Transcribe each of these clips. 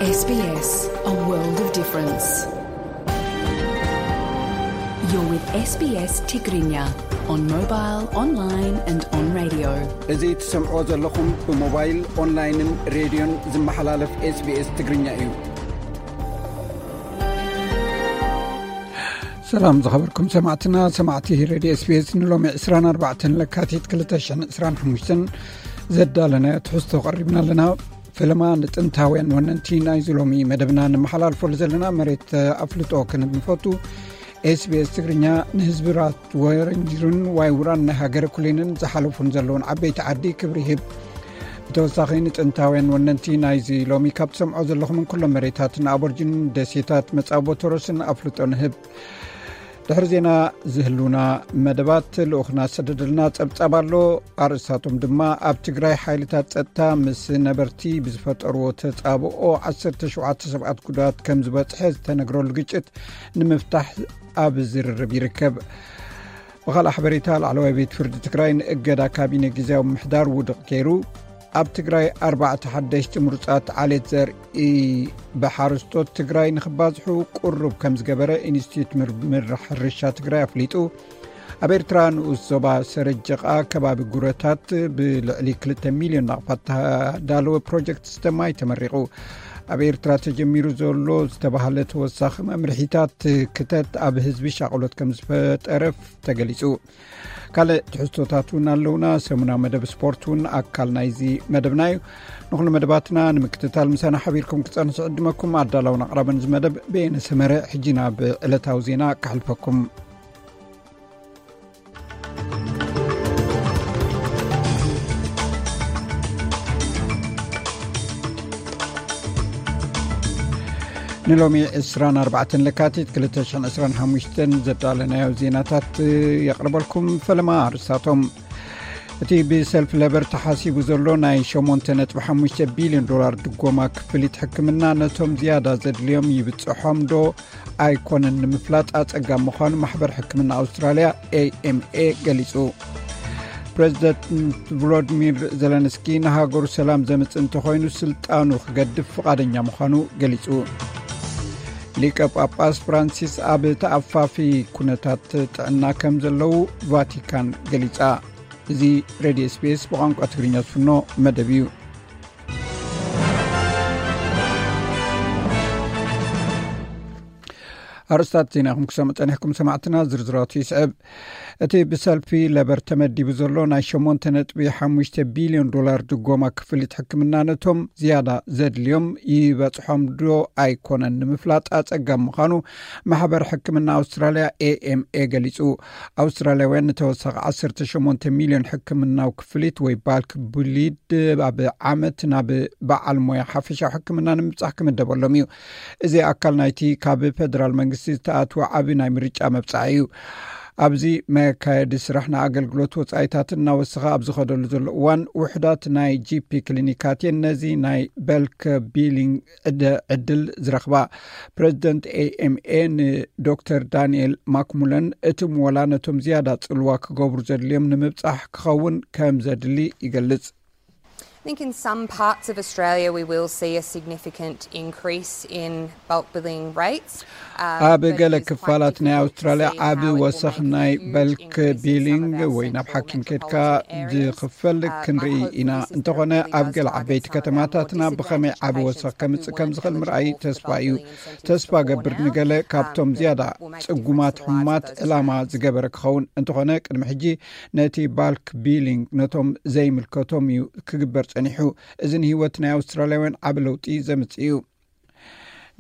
S B S, a world of difference. You're with S B S Tigrinya on mobile, online and on radio. እዚ ትሰምዖ ዘለኹም ብሞባይል፣ ኦንላይንን ሬድዮን ዝመሓላለፍ S B S ትግርኛ እዩ። ሰላም ዝኸበርኩም ሰማዕትና፣ ሰማዕቲ ሬድዮ S B S፣ ንሎሚ ዕስራን ኣርባዕተን ለካቲት ክልተ ሽሕን ዕስራን ሓሙሽተን ዘዳለናዮ ትሕዝቶ ቀሪብና ኣለና። ፈለማ ንጥንታውያን ወነንቲ ናይዚ ሎሚ መደብና ንመሓላልፈሉ ዘለና መሬት ኣፍልጦ ክንብል ንፈቱ። S B S ትግርኛ ንህዝብራት ወረንጅሩን ዋይ ውራን ናይ ሃገረ ኩሌንን ዝሓለፉን ዘለውን ዓበይቲ ዓዲ ክብሪ ይህብ። ብተወሳኺ ንጥንታውያን ወነንቲ ናይዚ ሎሚ ካብ ትሰምዖ ዘለኹምን ኩሎም መሬታትን ኣቦርጅንን ደሴታት መጻቦ ቶሮስን ኣፍልጦ ንህብ። ድሕሪ ዜና ዝህልውና መደባት ልኡኽና ዝሰደደልና ጸብጻብ ኣሎ። ኣርእስታቶም ድማ ኣብ ትግራይ ሓይልታት ጸጥታ ምስ ነበርቲ ብዝፈጠርዎ ተጻብኦ ዓሰርተ ሸውዓተ ሰባት ጉዳት ከም ዝበጽሐ ዝተነግረሉ ግጭት ንምፍታሕ ኣብ ዝርርብ ይርከብ። ብኻልእ ሓበሬታ ላዕለዋይ ቤት ፍርዲ ትግራይ ንእገዳ ካቢነ ግዜያዊ ምምሕዳር ውድቕ ገይሩ። ኣብ ትግራይ ኣርባዕተ ሓደሽቲ ምሩጻት ዓሌት ዘርኢ ብሓረስቶት ትግራይ ንኽባዝሑ ቁሩብ ከም ዝገበረ ኢንስቲትዩት ምርምር ሕርሻ ትግራይ ኣፍሊጡ። ኣብ ኤርትራ ንኡስ ዞባ ሰረጀቓ ከባቢ ጉረታት ብልዕሊ ክልተ ሚልዮን ናቕፋት ዝተዳለወ ፕሮጀክት ዝስተማይ ተመሪቑ። ኣብ ኤርትራ ተጀሚሩ ዘሎ ዝተባህለ ተወሳኺ መምርሒታት ክተት ኣብ ህዝቢ ሻቕሎት ከም ዝፈጠረ ተገሊጹ። ካልእ ትሕዝቶታት እውን ኣለውና። ሰሙናዊ መደብ ስፖርት እውን ኣካል ናይዚ መደብና እዩ። ንኹሉ መደባትና ንምክትታል ምሳና ሓቢርኩም ክጸንሑ ዕድመኩም። ኣዳላውን ኣቕራብን እዚ መደብ ብየነ ሰመረ። ሕጂ ናብ ዕለታዊ ዜና ከሕልፈኩም። ንሎሚ ዕስራን ኣርባዕተን ለካቲት ክልተ ሽሕን ዕስራን ሓሙሽተን ዘዳለናዮ ዜናታት የቕርበልኩም። ፈለማ ኣርእስታቶም። እቲ ብሰልፊ ለበር ተሓሲቡ ዘሎ ናይ ሸሞንተ ነጥቢ ሓሙሽተ ቢልዮን ዶላር ድጎማ ክፍሊት ሕክምና ነቶም ዝያዳ ዘድልዮም ይብጽሖም ዶ ኣይኮነን ንምፍላጥ ኣጸጋም ምዃኑ ማሕበር ሕክምና ኣውስትራልያ A M A ገሊጹ። ፕሬዚደንት ቮሎዲሚር ዘለንስኪ ንሃገሩ ሰላም ዘምጽእ እንተኾይኑ ስልጣኑ ክገድፍ ፍቓደኛ ምዃኑ ገሊጹ። ሊቀ ጳጳስ ፍራንሲስ ኣብ ተኣፋፊ ኩነታት ጥዕና ከም ዘለዉ ቫቲካን ገሊጻ። እዚ ሬድዮ S B S ብቋንቋ ትግርኛ ዝፍኖ መደብ እዩ። ኣርእስታት ዜና ኢኹም ክሰምዑ ጸኒሕኩም ሰማዕትና፣ ዝርዝራቱ ይስዕብ። እቲ ብሰልፊ ለበር ተመዲቡ ዘሎ ናይ ሸሞንተ ነጥቢ ሓሙሽተ ቢልዮን ዶላር ድጎማ ክፍሊት ሕክምና ነቶም ዝያዳ ዘድልዮም ይበጽሖም ዶ ኣይኮነን ንምፍላጥ ኣጸጋም ምዃኑ ማሕበር ሕክምና ኣውስትራልያ A M A ገሊጹ። ኣውስትራልያውያን ንተወሳኺ ዓሰርተ ሸሞንተ ሚልዮን ሕክምናዊ ክፍሊት ወይ ባልክ ብሊድ ኣብ ዓመት ናብ በዓል ሞያ ሓፈሻዊ ሕክምና ንምብጻሕ ክምደበሎም እዩ። እዚ ኣካል ናይቲ ካብ ፌደራል መንግስቲ ዝተኣትወ ዓቢ ናይ ምርጫ መብጻዕ እዩ። ኣብዚ መካየዲ ስራሕ ንኣገልግሎት ወጻኢታት እናወሰኸ ኣብ ዝኸደሉ ዘሎ እዋን፣ ውሑዳት ናይ ጂ ፒ ክሊኒካት እየን ነዚ ናይ በልክ ቢሊንግ ዕደ-፣ ዕድል ዝረኽባ። ፕሬዚደንት A M A ንዶክተር ዳንኤል ማክሙለን፣ እቲ ምወላ ነቶም ዝያዳ ጽልዋ ክገብሩ ዘድልዮም ንምብጻሕ ክኸውን ከም ዘድሊ ይገልጽ። I think in some parts of Australia we will see a significant increase in bulk billing rates. Uh, ኣብ but ገለ it is quite ክፋላት ናይ difficult to ኣውስትራልያ see ዓቢ how it will ወሰኽ make ናይ huge በልክ increase in some ቢሊንግ of our ወይ ናብ central ሓኪም ከድካ metropolitan areas. ዝኽፈል Uh, my ክንርኢ hope ኢና። for this እንተኾነ therapy ኣብ is ገለ to ዓበይቲ target some of ከተማታትና our ብኸመይ ዓቢ disadvantaged ወሰኽ ከምጽእ ከም ዝኽእል ምርኣይ ተስፋ እዩ። ተስፋ ገብር ንገለ ካብቶም ዝያዳ ጽጉማት ሕሙማት ዕላማ ዝገበረ ክኸውን። እንተኾነ ቅድሚ ሕጂ ነቲ ባልክ ቢሊንግ ነቶም ዘይምልከቶም እዩ ክግበር ጸኒሑ። እዚ ንህይወት ናይ ኣውስትራልያውያን ዓቢ ለውጢ ዘምጽእ እዩ።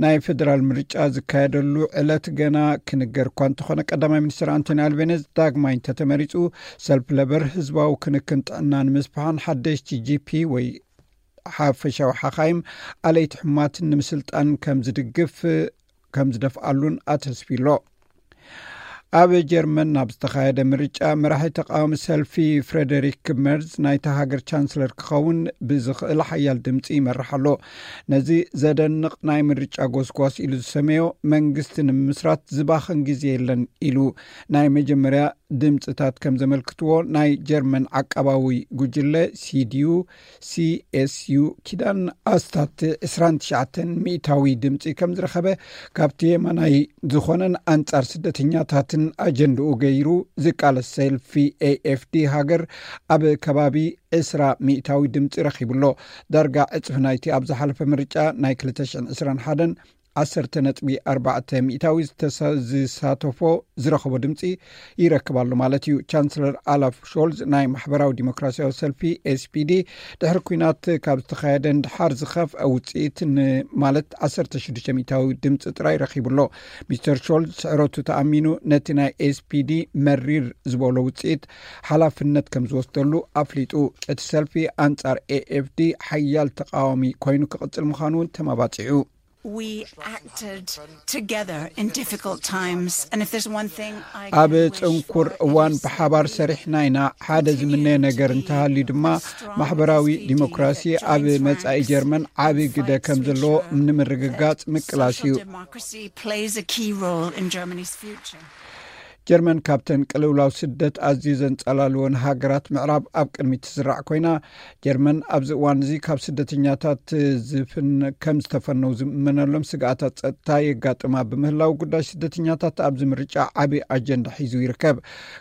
ናይ ፌደራል ምርጫ ዝካየደሉ ዕለት ገና ክንገር እኳ እንተኾነ፣ ቀዳማይ ሚኒስትር ኣንቶኒ ኣልቤነዝ ዳግማይ እንተተመሪጹ፣ ሰልፊ ለበር ህዝባዊ ክንክን ጥዕና ንምስፋሕን ሓደሽቲ ጂ ፒ ወይ ሓፈሻዊ ሓኻይም ኣለይቲ ሕሙማትን ንምስልጣን ከም ዝድግፍ ከም ዝደፍኣሉን ኣተስፊ ኣሎ። ኣብ ጀርመን ናብ ዝተኻየደ ምርጫ፣ መራሒ ተቃዋሚ ሰልፊ ፍሬደሪክ መርዝ ናይታ ሃገር ቻንስለር ክኸውን ብዝኽእል ሓያል ድምጺ ይመርሕ ኣሎ። ነዚ ዘደንቕ ናይ ምርጫ ጎስጓስ ኢሉ ዝሰመዮ መንግስቲ ንምምስራት ዝባኽን ግዜ የለን ኢሉ። ናይ መጀመርያ ድምፅታት ከም ዘመልክትዎ፣ ናይ ጀርመን ዓቃባዊ ጉጅለ ሲዲዩ ሲኤስዩ ኪዳን ኣስታት ዕስራን ትሽዓተን ሚእታዊ ድምፂ ከም ዝረኸበ፣ ካብቲ የማናይ ዝኾነን ኣንጻር ስደተኛታትን ኣጀንድኡ ገይሩ ዝቃለስ ሰልፊ ኤኤፍዲ ሃገር ኣብ ከባቢ ዕስራ ሚእታዊ ድምፂ ረኺቡ ኣሎ። ዳርጋ ዕጽፊ ናይቲ ኣብ ዝሓለፈ ምርጫ ናይ ክልተ ሽሕን ዕስራን ሓደን ዓሰርተ ነጥቢ ኣርባዕተ ሚእታዊ ዝተሳ-፣ ዝሳተፎ ዝረኸቦ ድምፂ ይረክብ ኣሎ ማለት እዩ። ቻንስለር ኣላፍ ሾልዝ ናይ ማሕበራዊ ዲሞክራሲያዊ ሰልፊ ኤስፒዲ ድሕሪ ኲናት ካብ ዝተኻየደ ንድሓር ዝኸፍአ ውፅኢት ን-፣ ማለት ዓሰርተ ሽዱሽተ ሚእታዊ ድምፂ ጥራይ ረኺቡ ኣሎ። ሚስተር ሾልዝ ስዕረቱ ተኣሚኑ ነቲ ናይ ኤስፒዲ መሪር ዝበሎ ውፅኢት ሓላፍነት ከም ዝወስደሉ ኣፍሊጡ። እቲ ሰልፊ ኣንጻር ኤኤፍዲ ሓያል ተቃዋሚ ኮይኑ ክቕጽል ምዃኑ እውን ተመባጺዑ። We acted together in difficult times, and if there's one thing I ኣብ can wish ጽንኩር for እዋን is ብሓባር that we ሰሪሕና ኢና። ሓደ continue ዝምነዮ to ነገር be እንተሃልዩ ድማ strong ማሕበራዊ S P D ዲሞክራሲ that ኣብ joins መጻኢ ranks ጀርመን ዓቢ and ግደ fights ከም to ዘለዎ ensure ንምርግጋጽ ምቅላስ social እዩ። Democracy plays a key role in Germany's future. ጀርመን ካብተን ቅልውላው ስደት ኣዝዩ ዘንጸላልወን ሃገራት ምዕራብ ኣብ ቅድሚት ትስራዕ ኮይና፣ ጀርመን ኣብዚ እዋን እዚ ካብ ስደተኛታት ዝፍን-፣ ከም ዝተፈነው ዝእመነሎም ስግኣታት ጸጥታ የጋጥማ ብምህላው፣ ጉዳይ ስደተኛታት ኣብዚ ምርጫ ዓቢ ኣጀንዳ ሒዙ ይርከብ።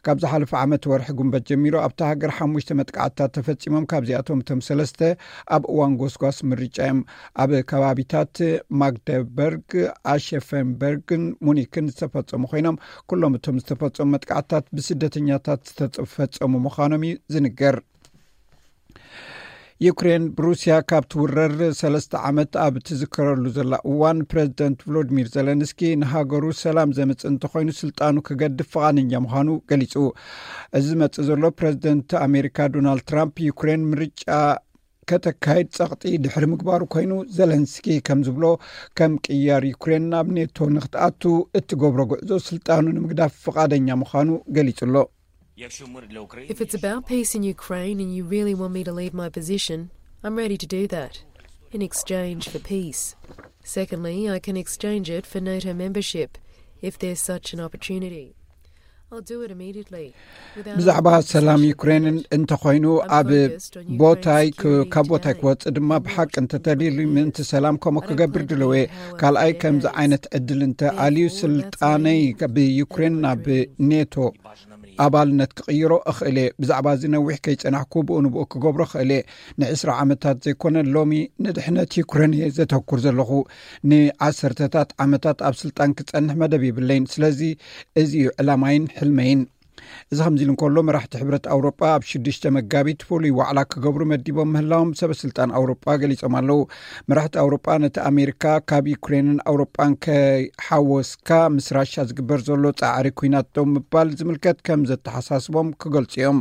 ካብ ዝሓለፈ ዓመት ወርሒ ጉንበት ጀሚሩ ኣብታ ሃገር ሓሙሽተ መጥቃዕትታት ተፈጺሞም፣ ካብዚኣቶም እቶም ሰለስተ ኣብ እዋን ጎስጓስ ምርጫ እዮም። ኣብ ከባቢታት ማግደበርግ፣ ኣሸፈንበርግን ሙኒክን ዝተፈጸሙ ኮይኖም፣ ኩሎም እቶም ዝተፈጸሙ መጥቃዕትታት ብስደተኛታት ዝተፈጸሙ ምዃኖም እዩ ዝንገር። ዩክሬን ብሩስያ ካብ ትውረር ሰለስተ ዓመት ኣብ ትዝከረሉ ዘላ እዋን፣ ፕረዚደንት ቮሎዲሚር ዘለንስኪ ንሃገሩ ሰላም ዘምጽእ እንተኾይኑ ስልጣኑ ክገድፍ ፍቓደኛ ምዃኑ ገሊጹ። እዚ ዝመጽእ ዘሎ ፕረዚደንት ኣሜሪካ ዶናልድ ትራምፕ ዩክሬን ምርጫ ከተካይድ ጸቕጢ ድሕሪ ምግባሩ ኮይኑ፣ ዘለንስኪ ከም ዝብሎ ከም ቅያር ዩክሬን ናብ ኔቶ ንክትኣቱ እትገብሮ ጉዕዞ ስልጣኑ ንምግዳፍ ፍቓደኛ ምዃኑ ገሊጹ ኣሎ። If it's about peace in Ukraine and you really want me to leave my position, I'm ready to do that in exchange for peace. Secondly, I can exchange it for NATO membership if there's such an opportunity. I'll do it immediately. ብዛዕባ ሰላም ዩክሬን እንተኾይኑ ኣብ ቦታይ ክ-፣ ካብ ቦታይ ክወጽእ ድማ ብሓቂ እንተተደልዩ ምእንቲ ሰላም ከምኡ ክገብር ድልው እየ። ካልኣይ ከምዚ ዓይነት ዕድል እንተ ኣልዩ ስልጣነይ ብዩክሬን ናብ ኔቶ ኣባልነት ክቕይሮ እኽእል እየ። ብዛዕባ እዚ ነዊሕ ከይጸናሕኩ ብኡ ንብኡ ክገብሮ እኽእል እየ። ንዕስራ ዓመታት ዘይኮነ ሎሚ ንድሕነት ዩክሬን እየ ዘተኩር ዘለኹ። ንዓሰርተታት ዓመታት ኣብ ስልጣን ክጸንሕ መደብ የብለይን። ስለዚ እዚ እዩ ዕላማይን ሕልመይን። እዚ ከምዚ ኢሉ እንከሎ፣ መራሕቲ ሕብረት ኣውሮጳ ኣብ ሽዱሽተ መጋቢት ፍሉይ ዋዕላ ክገብሩ መዲቦም ምህላዎም ሰበ ስልጣን ኣውሮጳ ገሊጾም ኣለዉ። መራሕቲ ኣውሮጳ ነቲ ኣሜሪካ ካብ ዩክሬንን ኣውሮጳን ከይሓወስካ ምስ ራሻ ዝግበር ዘሎ ጻዕሪ ኲናት ደው ምባል ዝምልከት ከም ዘተሓሳስቦም ክገልጹ እዮም።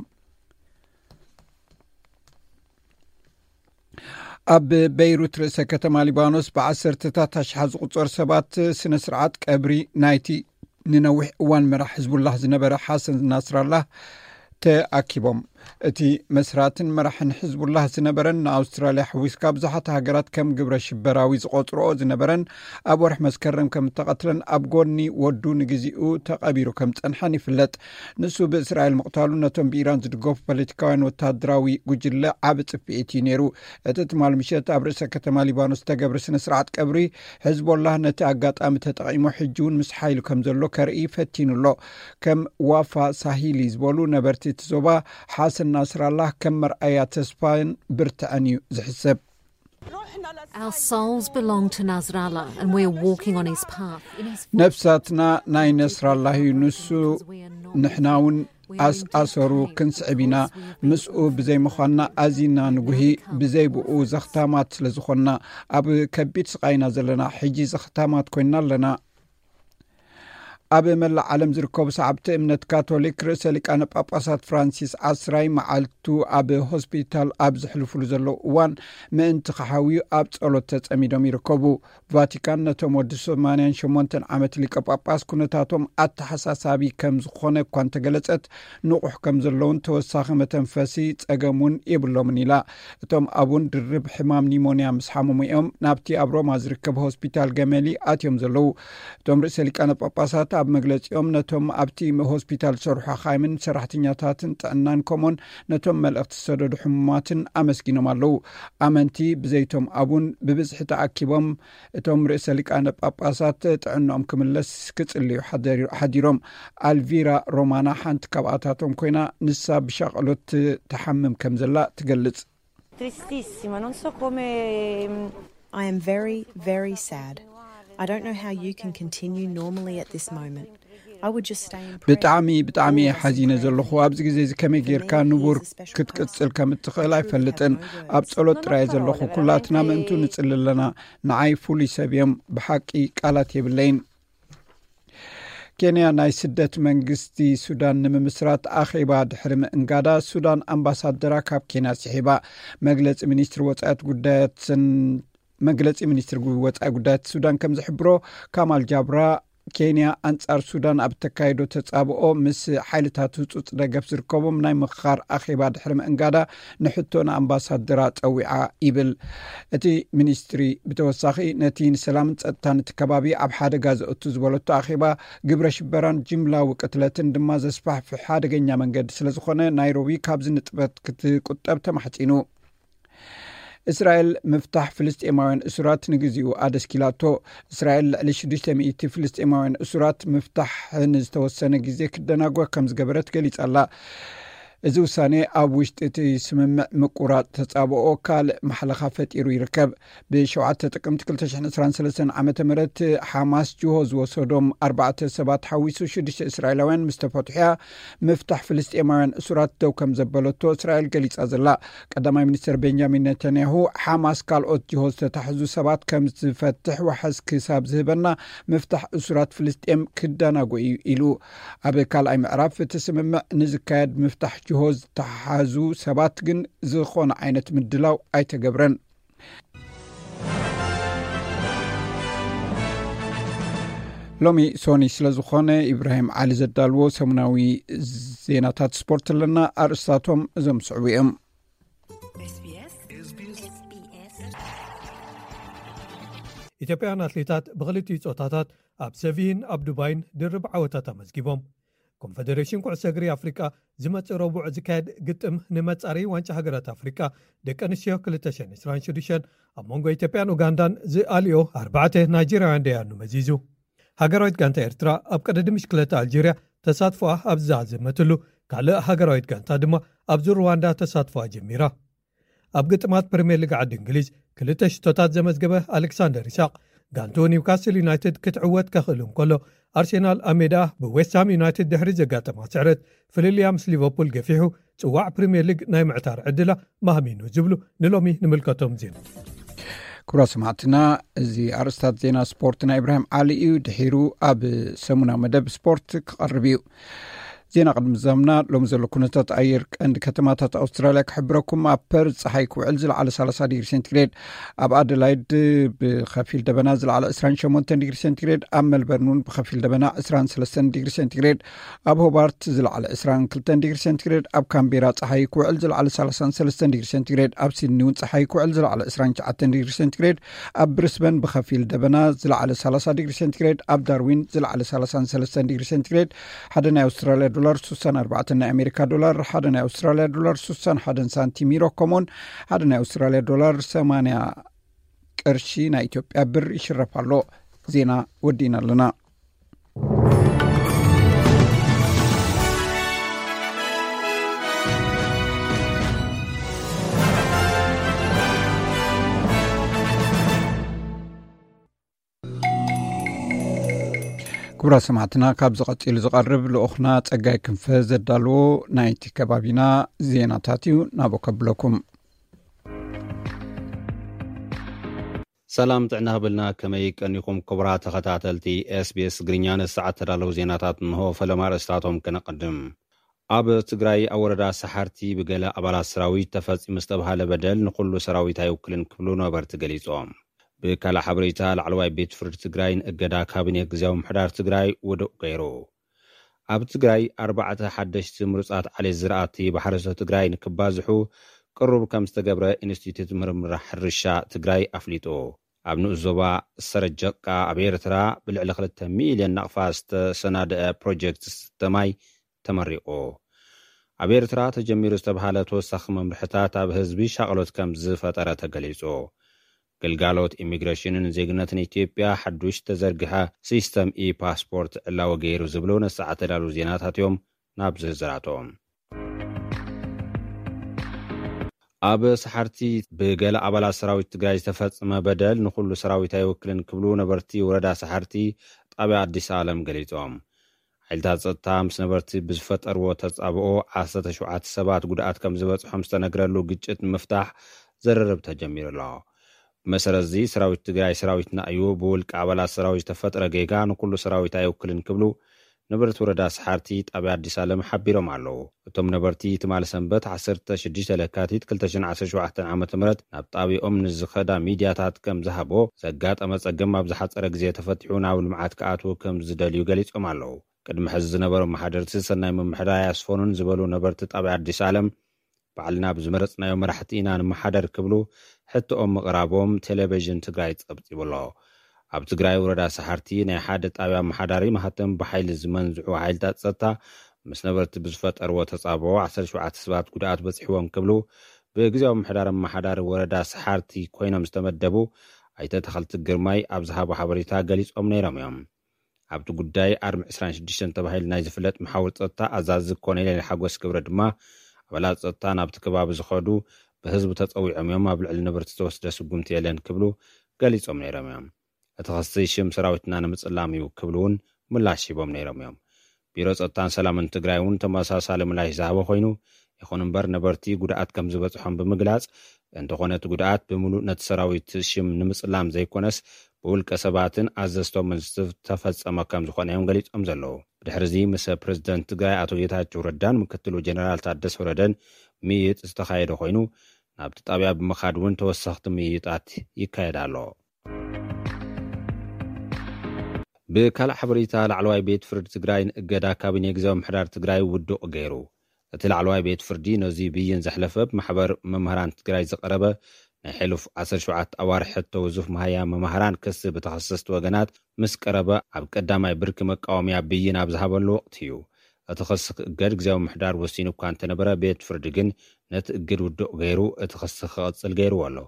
ኣብ በይሩት ርእሰ ከተማ ሊባኖስ ብዓሰርተታት ኣሽሓት ዝቑጸሩ ሰባት ስነ ስርዓት ቀብሪ ናይቲ ንነዊሕ እዋን መራሕ ሕዝቡላህ ዝነበረ ሓሰን ናስራላህ ተኣኪቦም። እቲ መስራትን መራሕን ሕዝቡላህ ዝነበረን ንኣውስትራልያ ሕዊስካ ብዙሓት ሃገራት ከም ግብረ ሽበራዊ ዝቖጽርኦ ዝነበረን ኣብ ወርሒ መስከረም ከም እተቐትለን ኣብ ጎኒ ወዱ ንግዚኡ ተቐቢሩ ከም ጸንሐን ይፍለጥ። ንሱ ብእስራኤል ምቕታሉ ነቶም ብኢራን ዝድገፉ ፖለቲካውያን ወተሃደራዊ ጉጅለ ዓቢ ጽፍዒት እዩ ነይሩ። እቲ ትማል ምሸት ኣብ ርእሰ ከተማ ሊባኖስ ዝተገብረ ስነ ስርዓት ቀብሪ ሕዝቦላህ ነቲ ኣጋጣሚ ተጠቒሙ ሕጂ እውን ምስ ሓይሉ ከም ዘሎ ከርኢ ፈቲኑ ኣሎ። ከም ዋፋ ሳሂሊ ዝበሉ ነበርቲ እቲ ዞባ፣ ሓሰን ናስራላህ ከም መርኣያ ተስፋን ብርትዐን እዩ ዝሕሰብ። Our souls belong to Nasrallah and we're walking on his path. In his ነፍሳትና ናይ ነስራላህ እዩ። ንሱ ንሕና እውን ኣስኣሰሩ ክንስዕብ ኢና። ምስኡ ብዘይ ምዃንና ኣዚና ንጉሂ። ብዘይ ብኡ ዘኽታማት ስለ ዝኾንና ኣብ ከቢድ ስቓይ ኢና ዘለና። ሕጂ ዘኽታማት ኮይንና ኣለና። ኣብ መላእ ዓለም ዝርከቡ ሰዓብቲ እምነት ካቶሊክ ርእሰ ሊቃነ ጳጳሳት ፍራንሲስ ዓስራይ መዓልቱ ኣብ ሆስፒታል ኣብ ዘሕልፉሉ ዘለዉ እዋን ምእንቲ ክሓውዩ ኣብ ጸሎት ተጸሚዶም ይርከቡ። ቫቲካን ነቶም ወዲ ሰማንያን ሸሞንተን ዓመት ሊቀ ጳጳስ ኩነታቶም ኣተሓሳሳቢ ከም ዝኾነ እኳ እንተገለጸት፣ ንቑሕ ከም ዘለውን ተወሳኺ መተንፈሲ ጸገም እውን የብሎምን ኢላ። እቶም ኣቡን ድርብ ሕማም ኒሞንያ ምስ ሓመሙ እዮም ናብቲ ኣብ ሮማ ዝርከብ ሆስፒታል ገመሊ ኣትዮም ዘለዉ። እቶም ርእሰ ሊቃነ ጳጳሳት ኣብ መግለጺኦም ነቶም ኣብቲ ሆስፒታል ዝሰርሑ ሓኻይምን ሰራሕተኛታትን ጥዕናን ከምኡን ነቶም መልእኽቲ ዝሰደዱ ሕሙማትን ኣመስጊኖም ኣለዉ። ኣመንቲ ብዘይቶም ኣቡን ብብዝሒ ተኣኪቦም እቶም ርእሰ ሊቃነ ጳጳሳት ጥዕናኦም ክምለስ ክጽልዩ ሓደሪ-፣ ሓዲሮም። ኣልቪራ ሮማና ሓንቲ ካብኣታቶም ኮይና፣ ንሳ ብሻቕሎት ትሓምም ከም ዘላ ትገልጽ። Tristissima, non so come... I am very, very sad. I don't know how you can continue normally at this moment. I would just stay in prayer. ብጣዕሚ ብጣዕሚ እየ ሓዚነ ዘለኹ። ኣብዚ ግዜ እዚ ከመይ ጌርካ ንቡር ክትቅጽል ከም እትኽእል ኣይፈልጥን። ኣብ ጸሎት ጥራይ ዘለኹ። ኩላትና ምእንቱ ንጽሊ ኣለና። ንዓይ ፍሉይ ሰብ እዮም። ብሓቂ ቃላት የብለይን። ኬንያ ናይ ስደት መንግስቲ ሱዳን ንምምስራት ኣኼባ ድሕሪ ምእንጋዳ፣ ሱዳን ኣምባሳደራ ካብ ኬንያ ስሒባ። መግለጺ ሚኒስትሪ ወጻኢት ጉዳያትን መግለጺ ሚኒስትሪ ወጻኢ ጉዳያት ሱዳን ከም ዝሕብሮ፣ ካማል ጃብራ፣ ኬንያ ኣንጻር ሱዳን ኣብ ተካይዶ ተጻብኦ ምስ ሓይልታት ህጹጽ ደገፍ ዝርከቦም ናይ ምኽኻር ኣኼባ ድሕሪ ምእንጋዳ፣ ንሕቶ ንኣምባሳደራ ጸዊዓ ይብል። እቲ ሚኒስትሪ ብተወሳኺ፣ ነቲ ንሰላምን ጸጥታን እቲ ከባቢ ኣብ ሓደጋ ዘእቱ ዝበለቶ ኣኼባ፣ ግብረ ሽበራን ጅምላዊ ቅትለትን ድማ ዘስፋሕፍሕ ሓደገኛ መንገዲ ስለ ዝኾነ፣ ናይሮቢ ካብዚ ንጥፈት ክትቁጠብ ተማሕጺኑ። እስራኤል ምፍታሕ ፍልስጤማውያን እሱራት ንግዚኡ ኣደስኪላቶ። እስራኤል ልዕሊ ሽዱሽተ ሚእቲ ፍልስጤማውያን እሱራት ምፍታሕ ንዝተወሰነ ግዜ ክደናጎ ከም ዝገበረት ገሊጻ ኣላ። እዚ ውሳኔ ኣብ ውሽጢ እቲ ስምምዕ ምቁራጽ ተጻብኦ ካልእ ማሕለኻ ፈጢሩ ይርከብ። ብሸውዓተ ጥቅምቲ ክልተ ሽሕን ዕስራን ሰለስተን ዓመተ ምህረት ሓማስ ጅሆ ዝወሰዶም ኣርባዕተ ሰባት ሓዊሱ ሽዱሽተ እስራኤላውያን ምስ ተፈትሑ እያ ምፍታሕ ፍልስጤማውያን እሱራት ደው ከም ዘበለቶ እስራኤል ገሊጻ ዘላ። ቀዳማይ ሚኒስትር ቤንጃሚን ነታንያሁ፣ ሓማስ ካልኦት ጅሆ ዝተታሕዙ ሰባት ከም ዝፈትሕ ዋሕስ ክሳብ ዝህበና፣ ምፍታሕ እሱራት ፍልስጤም ክደናጎ እዩ ኢሉ። ኣብ ካልኣይ ምዕራፍ እቲ ስምምዕ ንዝካየድ ምፍታሕ ጅሆ ዝተሓዙ ሰባት ግን ዝኾነ ዓይነት ምድላው ኣይተገብረን። ሎሚ ሶኒ ስለ ዝኾነ፣ ኢብራሂም ዓሊ ዘዳልዎ ሰሙናዊ ዜናታት ስፖርት ኣለና። ኣርእስታቶም እዞም ዝስዕቡ እዮም። ኢትዮጵያውያን ኣትሌታት ብክልቲኡ ጾታታት ኣብ ሰቪይን ኣብ ዱባይን ድርብ ዓወታት ኣመዝጊቦም። ኮንፈደሬሽን ኩዕሶ እግሪ ኣፍሪቃ ዝመጽእ ረቡዕ ዝካየድ ግጥም ንመጻረዪ ዋንጫ ሃገራት ኣፍሪቃ ደቂ ኣንስትዮ ክልተ ሽሕን ዕስራን ሽዱሽተን ኣብ መንጎ ኢትዮጵያን ኡጋንዳን ዝኣልዮ ኣርባዕተ ናይጀርያውያን ደያኑ መዚዙ። ሃገራዊት ጋንታ ኤርትራ ኣብ ቀደዲ ምሽክለታ ኣልጀርያ ተሳትፎኣ ኣብ ዝዛዘመትሉ፣ ካልእ ሃገራዊት ጋንታ ድማ ኣብዚ ሩዋንዳ ተሳትፎኣ ጀሚራ። ኣብ ግጥማት ፕሪምየር ሊግ ዓዲ እንግሊዝ ክልተ ሽቶታት ዘመዝገበ ኣሌክሳንደር ኢሳቕ፣ ጋንትኡ ኒውካስል ዩናይትድ ክትዕወት ከኽእል እንከሎ፣ ኣርሴናል ኣብ ሜዳ ብዌስትሃም ዩናይትድ ድሕሪ ዘጋጠማ ስዕረት ፍልልያ ምስ ሊቨርፑል ገፊሑ ጽዋዕ ፕሪምየር ሊግ ናይ ምዕታር ዕድላ ማህሚኑ ዝብሉ ንሎሚ ንምልከቶም ዜና። ክቡራት ሰማዕትና፣ እዚ ኣርእስታት ዜና ስፖርት ናይ ኢብራሂም ዓሊ እዩ። ድሒሩ ኣብ ሰሙናዊ መደብ ስፖርት ክቐርብ እዩ። ዜና ቅድሚ ምዛምና፣ ሎሚ ዘሎ ኩነታት ኣየር ቀንዲ ከተማታት ኣውስትራልያ ክሕብረኩም። ኣብ ፐርዝ ጸሓይ ክውዕል፣ ዝለዓለ ሰላሳ ዲግሪ ሴንቲግሬድ። ኣብ ኣደላይድ ብኸፊል ደበና፣ ዝለዓለ ዕስራን ሸሞንተን ዲግሪ ሴንቲግሬድ። ኣብ ሜልበርን እውን ብኸፊል ደበና፣ ዕስራን ሰለስተን ዲግሪ ሴንቲግሬድ። ኣብ ሆባርት ዝለዓለ ዕስራን ክልተን ዲግሪ ሴንቲግሬድ። ኣብ ካምቤራ ጸሓይ ክውዕል፣ ዝለዓለ ሰላሳን ሰለስተን ዲግሪ ሴንቲግሬድ። ኣብ ሲድኒ እውን ጸሓይ ክውዕል፣ ዝለዓለ ዕስራን ትሽዓተን ዲግሪ ሴንቲግሬድ። ኣብ ብሪስበን ብኸፊል ደበና፣ ዝለዓለ ሰላሳ ዲግሪ ሴንቲግሬድ። ኣብ ዳርዊን ዝለዓለ ሰላሳን ሰለስተን ዲግሪ ሴንቲግሬድ። ሓደ ናይ ኣውስትራልያ ዶላር ስሳን ኣርባዕተን ናይ ኣሜሪካ ዶላር፣ ሓደ ናይ ኣውስትራልያ ዶላር ስሳን ሓደን ሳንቲም፣ ዩሮ ከምኡውን ሓደ ናይ ኣውስትራልያ ዶላር ሰማንያ ቅርሺ ናይ ኢትዮጵያ ብር ይሽረፍ ኣሎ። ዜና ወዲእና ኣለና። ክቡራት ሰማዕትና፣ ካብዚ ቀጺሉ ዝቐርብ ልኡኽና ጸጋይ ክንፈ ዘዳልዎ ናይቲ ከባቢና ዜናታት እዩ። ናብኡ ከብለኩም። ሰላም ጥዕና ክብልና፣ ከመይ ቀኒኹም ክቡራት ተኸታተልቲ ኤስቢኤስ ትግርኛ? ንሰዓት ተዳለዉ ዜናታት እንሆ። ፈለማ ኣርእስታቶም ከነቐድም። ኣብ ትግራይ ኣብ ወረዳ ሰሓርቲ ብገለ ኣባላት ሰራዊት ተፈጺሙ ዝተባህለ በደል ንኹሉ ሰራዊት ኣይውክልን ክብሉ ነበርቲ ገሊጾም። ብካልእ ሓበሬታ፣ ላዕለዋይ ቤት ፍርዲ ትግራይ ንእገዳ ካቢኔ ግዝያዊ ምምሕዳር ትግራይ ውዱእ ገይሩ። ኣብ ትግራይ ኣርባዕተ ሓደሽቲ ምሩጻት ዓሌት ዝራእቲ ብሓረስቶት ትግራይ ንክባዝሑ ቅሩብ ከም ዝተገብረ ኢንስቲትዩት ምርምር ሕርሻ ትግራይ ኣፍሊጡ። ኣብ ንኡስ ዞባ ሰረጀቃ ኣብ ኤርትራ ብልዕሊ ክልተ ሚልዮን ናቕፋ ዝተሰናደአ ፕሮጀክት ዝስተ ማይ ተመሪቑ። ኣብ ኤርትራ ተጀሚሩ ዝተባሃለ ተወሳኺ መምርሕታት ኣብ ህዝቢ ሻቕሎት ከም ዝፈጠረ ተገሊጹ። ግልጋሎት ኢሚግሬሽንን ዜግነትን ኢትዮጵያ ሓዱሽ ተዘርግሐ ሲስተም ኢ ፓስፖርት ዕላዊ ገይሩ ዝብሉ ነሳዕ ተዳሉ ዜናታት እዮም። ናብ ዝርዝራቶም። ኣብ ሰሓርቲ ብገለ ኣባላት ሰራዊት ትግራይ ዝተፈጸመ በደል ንኹሉ ሰራዊት ኣይወክልን ክብሉ ነበርቲ ወረዳ ሰሓርቲ ጣብያ ኣዲስ ኣለም ገሊጾም። ሓይልታት ጸጥታ ምስ ነበርቲ ብዝፈጠርዎ ተጻብኦ ዓሰርተ ሸውዓተ ሰባት ጉድኣት ከም ዝበጽሖም ዝተነግረሉ ግጭት ንምፍታሕ ዝርርብ ተጀሚሩ ኣሎ። ብመሰረት እዚ ሰራዊት ትግራይ ሰራዊትና እዩ፣ ብውልቂ ኣባላት ሰራዊት ዝተፈጥረ ጌጋ ንኩሉ ሰራዊት ኣይውክልን ክብሉ ነበርቲ ወረዳ ሰሓርቲ ጣብያ ኣዲስ ኣለም ሓቢሮም ኣለዉ። እቶም ነበርቲ ትማሊ ሰንበት ዓሰርተ ሽዱሽተ ለካቲት ክልተ ሽሕን ዓሰርተ ሸውዓተን ዓመተ ምህረት ናብ ጣብያኦም ንዝኸዳ ሚድያታት ከም ዝሃቦ፣ ዘጋጠመ ጸገም ኣብ ዝሓጸረ ግዜ ተፈቲሑ ናብ ልምዓት ክኣትዉ ከም ዝደልዩ ገሊጾም ኣለዉ። ቅድሚ ሕዚ ዝነበሩ መሓደርቲ ሰናይ ምምሕዳር ኣያስፈኑን ዝበሉ ነበርቲ ጣብያ ኣዲስ ኣለም፣ ባዕልና ብዝመረጽናዮ መራሕቲ ኢና ንመሓደር ክብሉ ሕቶኦም ምቕራቦም ቴሌቪዥን ትግራይ ጸብጺቡ ኣሎ። ኣብ ትግራይ ወረዳ ሰሓርቲ ናይ ሓደ ጣብያ ኣመሓዳሪ ማህተም ብሓይሊ ዝመንዝዑ ሓይልታት ጸጥታ ምስ ነበርቲ ብዝፈጠርዎ ተጻብኦ ዓሰርተ ሸውዓተ ሰባት ጉድኣት በጺሕዎም ክብሉ ብግዜያዊ ምምሕዳር ኣመሓዳሪ ወረዳ ሰሓርቲ ኮይኖም ዝተመደቡ ኣይተ ተኸልቲ ግርማይ ኣብ ዝሃቦ ሓበሬታ ገሊጾም ነይሮም እዮም። ኣብቲ ጉዳይ ኣርሚ ዕስራን ሽዱሽተን ተባሂሉ ናይ ዝፍለጥ መሓውር ጸጥታ ኣዛዚ ኮሎኔል ሓጎስ ክብረ ድማ ኣባላት ጸጥታ ናብቲ ከባቢ ዝኸዱ ብህዝቢ ተጸዊዖም እዮም፣ ኣብ ልዕሊ ነበርቲ ዝተወስደ ስጉምቲ የለን ክብሉ ገሊጾም ነይሮም እዮም። እቲ ክሲ ሽም ሰራዊትና ንምጽላም እዩ ክብሉ እውን ምላሽ ሂቦም ነይሮም እዮም። ቢሮ ጸጥታን ሰላምን ትግራይ እውን ተመሳሳሊ ምላሽ ዝሃበ ኮይኑ፣ ይኹን እምበር ነበርቲ ጉድኣት ከም ዝበጽሖም ብምግላጽ፣ እንተኾነ እቲ ጉድኣት ብምሉእ ነቲ ሰራዊት ሽም ንምጽላም ዘይኮነስ ብውልቀ ሰባትን ኣዘዝቶምን ዝተፈጸመ ከም ዝኾነ እዮም ገሊጾም ዘለዉ። ብድሕሪ እዚ ምስ ፕሬዝደንት ትግራይ ኣቶ ጌታቸው ረዳን ምክትሉ ጀነራል ታደሰ ወረደን ምይይጥ ዝተኻየደ ኮይኑ፣ ናብቲ ጣብያ ብምኻድ እውን ተወሰኽቲ ምይይጣት ይካየድ ኣሎ። ብካልእ ሓበሬታ፣ ላዕለዋይ ቤት ፍርዲ ትግራይ ንእገዳ ካቢኔ ግዜያዊ ምምሕዳር ትግራይ ውዱቕ ገይሩ። እቲ ላዕለዋይ ቤት ፍርዲ ነዚ ብይን ዘሕለፈ፣ ብማሕበር መምህራን ትግራይ ዝቐረበ ናይ ሕሉፍ ዓሰርተ ሸውዓተ ኣዋርሕ ሕቶ ውዙፍ መሃያ መማህራን ክሲ ብተኸሰስቲ ወገናት ምስ ቀረበ፣ ኣብ ቀዳማይ ብርኪ መቃወምያ ብይን ኣብ ዝሃበሉ ወቕቲ እዩ። እቲ ክሲ ክእገድ ግዜያዊ ምምሕዳር ወሲኑ እኳ እንተነበረ፣ ቤት ፍርዲ ግን ነቲ እግድ ውዱቕ ገይሩ እቲ ክሲ ክቕጽል ገይርዎ ኣሎ።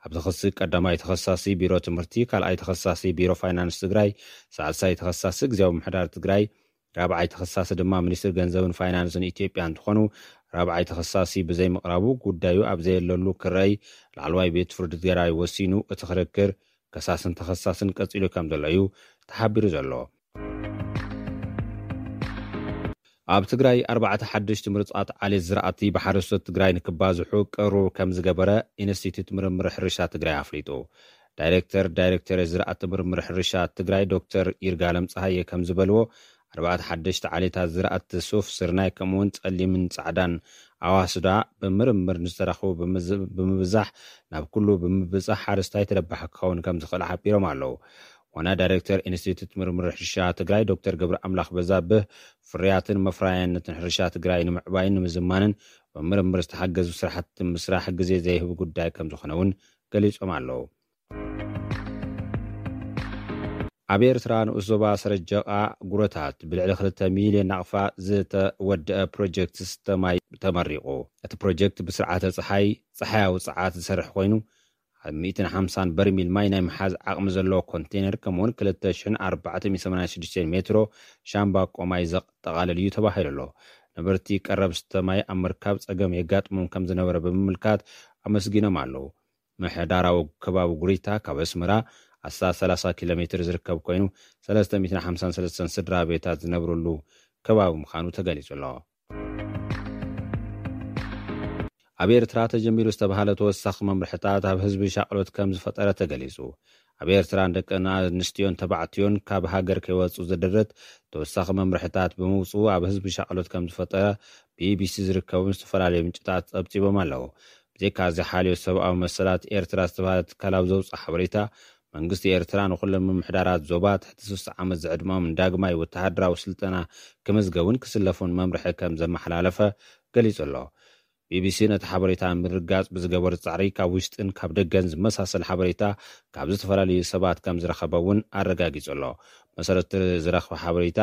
ኣብዚ ክሲ ቀዳማይ ተኸሳሲ ቢሮ ትምህርቲ፣ ካልኣይ ተኸሳሲ ቢሮ ፋይናንስ ትግራይ፣ ሳልሳይ ተኸሳሲ ግዜያዊ ምምሕዳር ትግራይ፣ ራብዓይ ተኸሳሲ ድማ ሚኒስትር ገንዘብን ፋይናንስን ኢትዮጵያ እንትኾኑ፣ ራብዓይ ተኸሳሲ ብዘይምቕራቡ ጉዳዩ ኣብ ዘየለሉ ክረይ ላዕለዋይ ቤት ፍርዲ ትግራይ ወሲኑ እቲ ክርክር ከሳስን ተኸሳስን ቀጺሉ ከም ዘሎ እዩ ተሓቢሩ ዘሎ። ኣብ ትግራይ ኣርባዕተ ሓደሽቲ ምርጻት ዓሌት ዝራእቲ ብሓረስቶት ትግራይ ንክባዝሑ ቅሩብ ከም ዝገበረ ኢንስቲትዩት ምርምር ሕርሻ ትግራይ ኣፍሊጡ። ዳይሬክተር ዳይሬክተር ዝራእቲ ምርምር ሕርሻ ትግራይ ዶክተር ይርጋለም ፀሃየ ከም ዝበልዎ፣ ኣርባዕተ ሓደሽቲ ዓሌታት ዝራእቲ ሱፍ፣ ስርናይ ከምኡውን ጸሊምን ጻዕዳን ኣዋስዳ ብምርምር ንዝተረኽቡ ብምዝ- ብምብዛሕ ናብ ኩሉ ብምብጻሕ ሓረስታይ ተረባሒ ክኸውን ከም ዝኽእል ሓቢሮም ኣለዉ። ዋና ዳይሬክተር ኢንስቲትዩት ምርምር ሕርሻ ትግራይ ዶክተር ገብረ ኣምላኽ በዛብህ፣ ፍርያትን መፍረያይነትን ሕርሻ ትግራይ ንምዕባይን ንምዝማንን ብምርምር ዝተሓገዙ ስራሕቲ ምስራሕ ግዜ ዘይህብ ጉዳይ ከም ዝኾነ እውን ገሊጾም ኣለዉ። ኣብ ኤርትራ ንኡስ ዞባ ሰረጀቓ ጉረታት ብልዕሊ ክልተ ሚልዮን ናቕፋ ዝተወደአ ፕሮጀክት ዝስተ ማይ ተመሪቑ። እቲ ፕሮጀክት ብስርዓተ ጸሓይ፣ ጸሓያዊ ጸዓት ዝሰርሕ ኮይኑ፣ ኣብ ሚእትን ሓምሳን በርሚል ማይ ናይ ምሓዝ ዓቕሚ ዘለዎ ኮንቴነር፣ ከምኡውን ክልተ ሽሕን ኣርባዕተ ሚእትን ሰማንያን ሽዱሽተን ሜትሮ ሻምባቆ ማይ ዘጠቓልል እዩ ተባሂሉ ኣሎ። ነበርቲ ቀረብ ዝስተ ማይ ኣብ ምርካብ ጸገም የጋጥሞም ከም ዝነበረ ብምምልካት ኣመስጊኖም ኣለዉ። ምሕዳራዊ ከባቢ ጉሪታ ካብ ኣስመራ ኣስታት ሰላሳ ኪሎ ሜትር ዝርከብ ኮይኑ፣ ሰለስተ ሚእትን ሓምሳን ሰለስተን ስድራ ቤታት ዝነብርሉ ከባቢ ምዃኑ ተገሊጹ ኣሎ። ኣብ ኤርትራ ተጀሚሩ ዝተባሃለ ተወሳኺ መምርሕታት ኣብ ህዝቢ ሻቕሎት ከም ዝፈጠረ ተገሊጹ። ኣብ ኤርትራ ንደቂ ኣንስትዮን ተባዕትዮን ካብ ሃገር ከይወጹ ዝድርት ተወሳኺ መምርሕታት ብምውጽኡ ኣብ ህዝቢ ሻቕሎት ከም ዝፈጠረ ቢቢሲ ዝርከቡ ዝተፈላለዩ ምንጭታት ጸብጺቦም ኣለዉ። ብዘይካ እዚ ሓልዮት ሰብኣዊ መሰላት ኤርትራ ዝተባህለ ትካል ኣብ ዘውፅኦ ሓበሬታ፣ መንግስቲ ኤርትራ ንኩሎም ምምሕዳራት ዞባ ትሕቲ ስሳ ዓመት ዝዕድመኦም ንዳግማይ ወተሃደራዊ ስልጠና ክምዝገቡን ክስለፉን መምርሒ ከም ዘመሓላለፈ ገሊጹ ኣሎ። ቢቢሲ ነቲ ሓበሬታ ምርጋጽ ብዝገበሩ ጻዕሪ ካብ ውሽጥን ካብ ደገን ዝመሳሰል ሓበሬታ ካብ ዝተፈላለዩ ሰባት ከም ዝረኸበ እውን ኣረጋጊጹ ኣሎ። መሰረት ዝረኽበ ሓበሬታ፣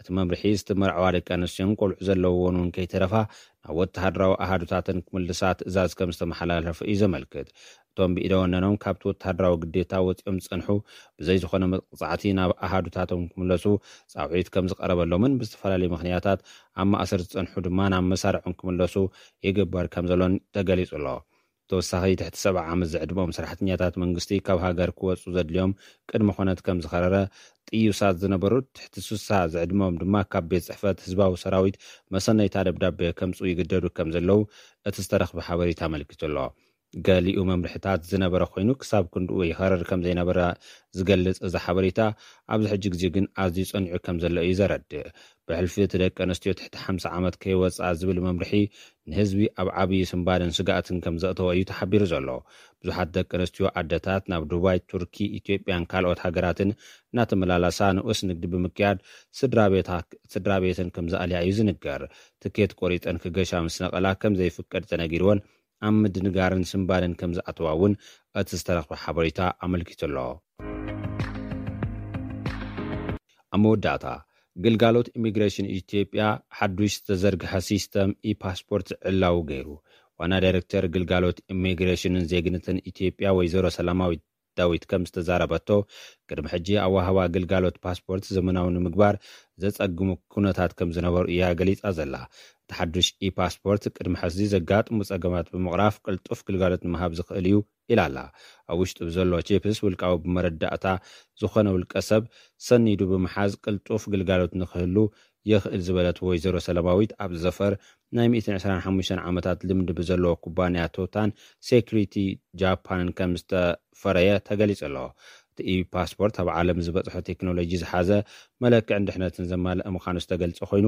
እቲ መምርሒ ዝተመርዓዋ ደቂ ኣንስትዮን ቆልዑ ዘለውዎን እውን ከይተረፋ ናብ ወተሃደራዊ ኣሃዱታተን ክምልሳ ትእዛዝ ከም ዝተመሓላለፈ እዩ ዘመልክት። እቶም ብኢደ ወነኖም ካብቲ ወተሃደራዊ ግዴታ ወፂኦም ዝፀንሑ ብዘይ ዝኾነ መቕፃዕቲ ናብ ኣሃዱታቶም ክምለሱ ፃውዒት ከም ዝቐረበሎምን ብዝተፈላለዩ ምኽንያታት ኣብ ማእሰር ዝፀንሑ ድማ ናብ መሳርዖም ክምለሱ ይግበር ከም ዘሎን ተገሊፁ ኣሎ። ተወሳኺ ትሕቲ ሰብዓ ዓመት ዝዕድመኦም ሰራሕተኛታት መንግስቲ ካብ ሃገር ክወፁ ዘድልዮም ቅድመ ኮነት ከም ዝኸረረ፣ ጥዩሳት ዝነበሩ ትሕቲ ሱሳ ዝዕድመኦም ድማ ካብ ቤት ጽሕፈት ህዝባዊ ሰራዊት መሰነይታ ደብዳቤ ከምጽኡ ይግደዱ ከም ዘለዉ እቲ ዝተረኽበ ሓበሬታ ኣመልኪቱ ኣሎ። ገሊኡ መምርሕታት ዝነበረ ኮይኑ ክሳብ ክንድኡ ይኸረር ከም ዘይነበረ ዝገልጽ እዚ ሓበሬታ፣ ኣብዚ ሕጂ ግዜ ግን ኣዝዩ ጸኒዑ ከም ዘሎ እዩ ዘረድእ። ብሕልፊ እቲ ደቂ ኣንስትዮ ትሕቲ ሓምሳ ዓመት ከይወጽኣ ዝብል መምርሒ ንህዝቢ ኣብ ዓብዪ ስንባደን ስጋኣትን ከም ዘእተወ እዩ ተሓቢሩ ዘሎ። ብዙሓት ደቂ ኣንስትዮ ኣደታት ናብ ዱባይ፣ ቱርኪ፣ ኢትዮጵያን ካልኦት ሃገራትን እናተመላለሳ ንኡስ ንግዲ ብምክያድ ስድራ ቤታ-፣ ስድራ ቤተን ከም ዘኣልያ እዩ ዝንገር። ትኬት ቆሪፀን ክገሻ ምስ ነቐላ ከም ዘይፍቀድ ተነጊርወን ኣብ ምድንጋርን ስንባደን ከም ዝኣተዋ እውን እቲ ዝተረኽበ ሓበሬታ ኣመልኪቱ ኣሎ። ኣብ መወዳእታ፣ ግልጋሎት ኢሚግሬሽን ኢትዮጵያ ሓዱሽ ዝተዘርግሐ ሲስተም ኢፓስፖርት ዕላዊ ገይሩ። ዋና ዳይሬክተር ግልጋሎት ኢሚግሬሽንን ዜግነትን ኢትዮጵያ ወይዘሮ ሰላማዊት ዳዊት ከም ዝተዛረበቶ፣ ቅድሚ ሕጂ ኣወሃህባ ግልጋሎት ፓስፖርት ዘመናዊ ንምግባር ዘጸግሙ ኩነታት ከም ዝነበሩ እያ ገሊጻ ዘላ። እቲ ሓዱሽ ኢፓስፖርት ቅድሚ ሕዚ ዘጋጥሙ ጸገማት ብምቕራፍ ቅልጡፍ ግልጋሎት ንምሃብ ዝኽእል እዩ ኢላ ኣላ። ኣብ ውሽጡ ብዘሎ ቺፕስ ውልቃዊ ብመረዳእታ ዝኾነ ውልቀ ሰብ ሰኒዱ ብምሓዝ ቅልጡፍ ግልጋሎት ንክህሉ የኽእል ዝበለት ወይዘሮ ሰላማዊት፣ ኣብዚ ዘፈር ናይ ሚእትን ዕስራን ሓሙሽተን ዓመታት ልምዲ ብዘለዎ ኩባንያ ቶታን ሴኩሪቲ ጃፓንን ከም ዝተፈረየ ተገሊጹ ኣሎ። እቲ ኢ-ፓስፖርት ኣብ ዓለም ዝበጽሖ ቴክኖሎጂ ዝሓዘ መለክዕን ድሕነትን ዘማልአ ምዃኑ ዝተገልጸ ኮይኑ፣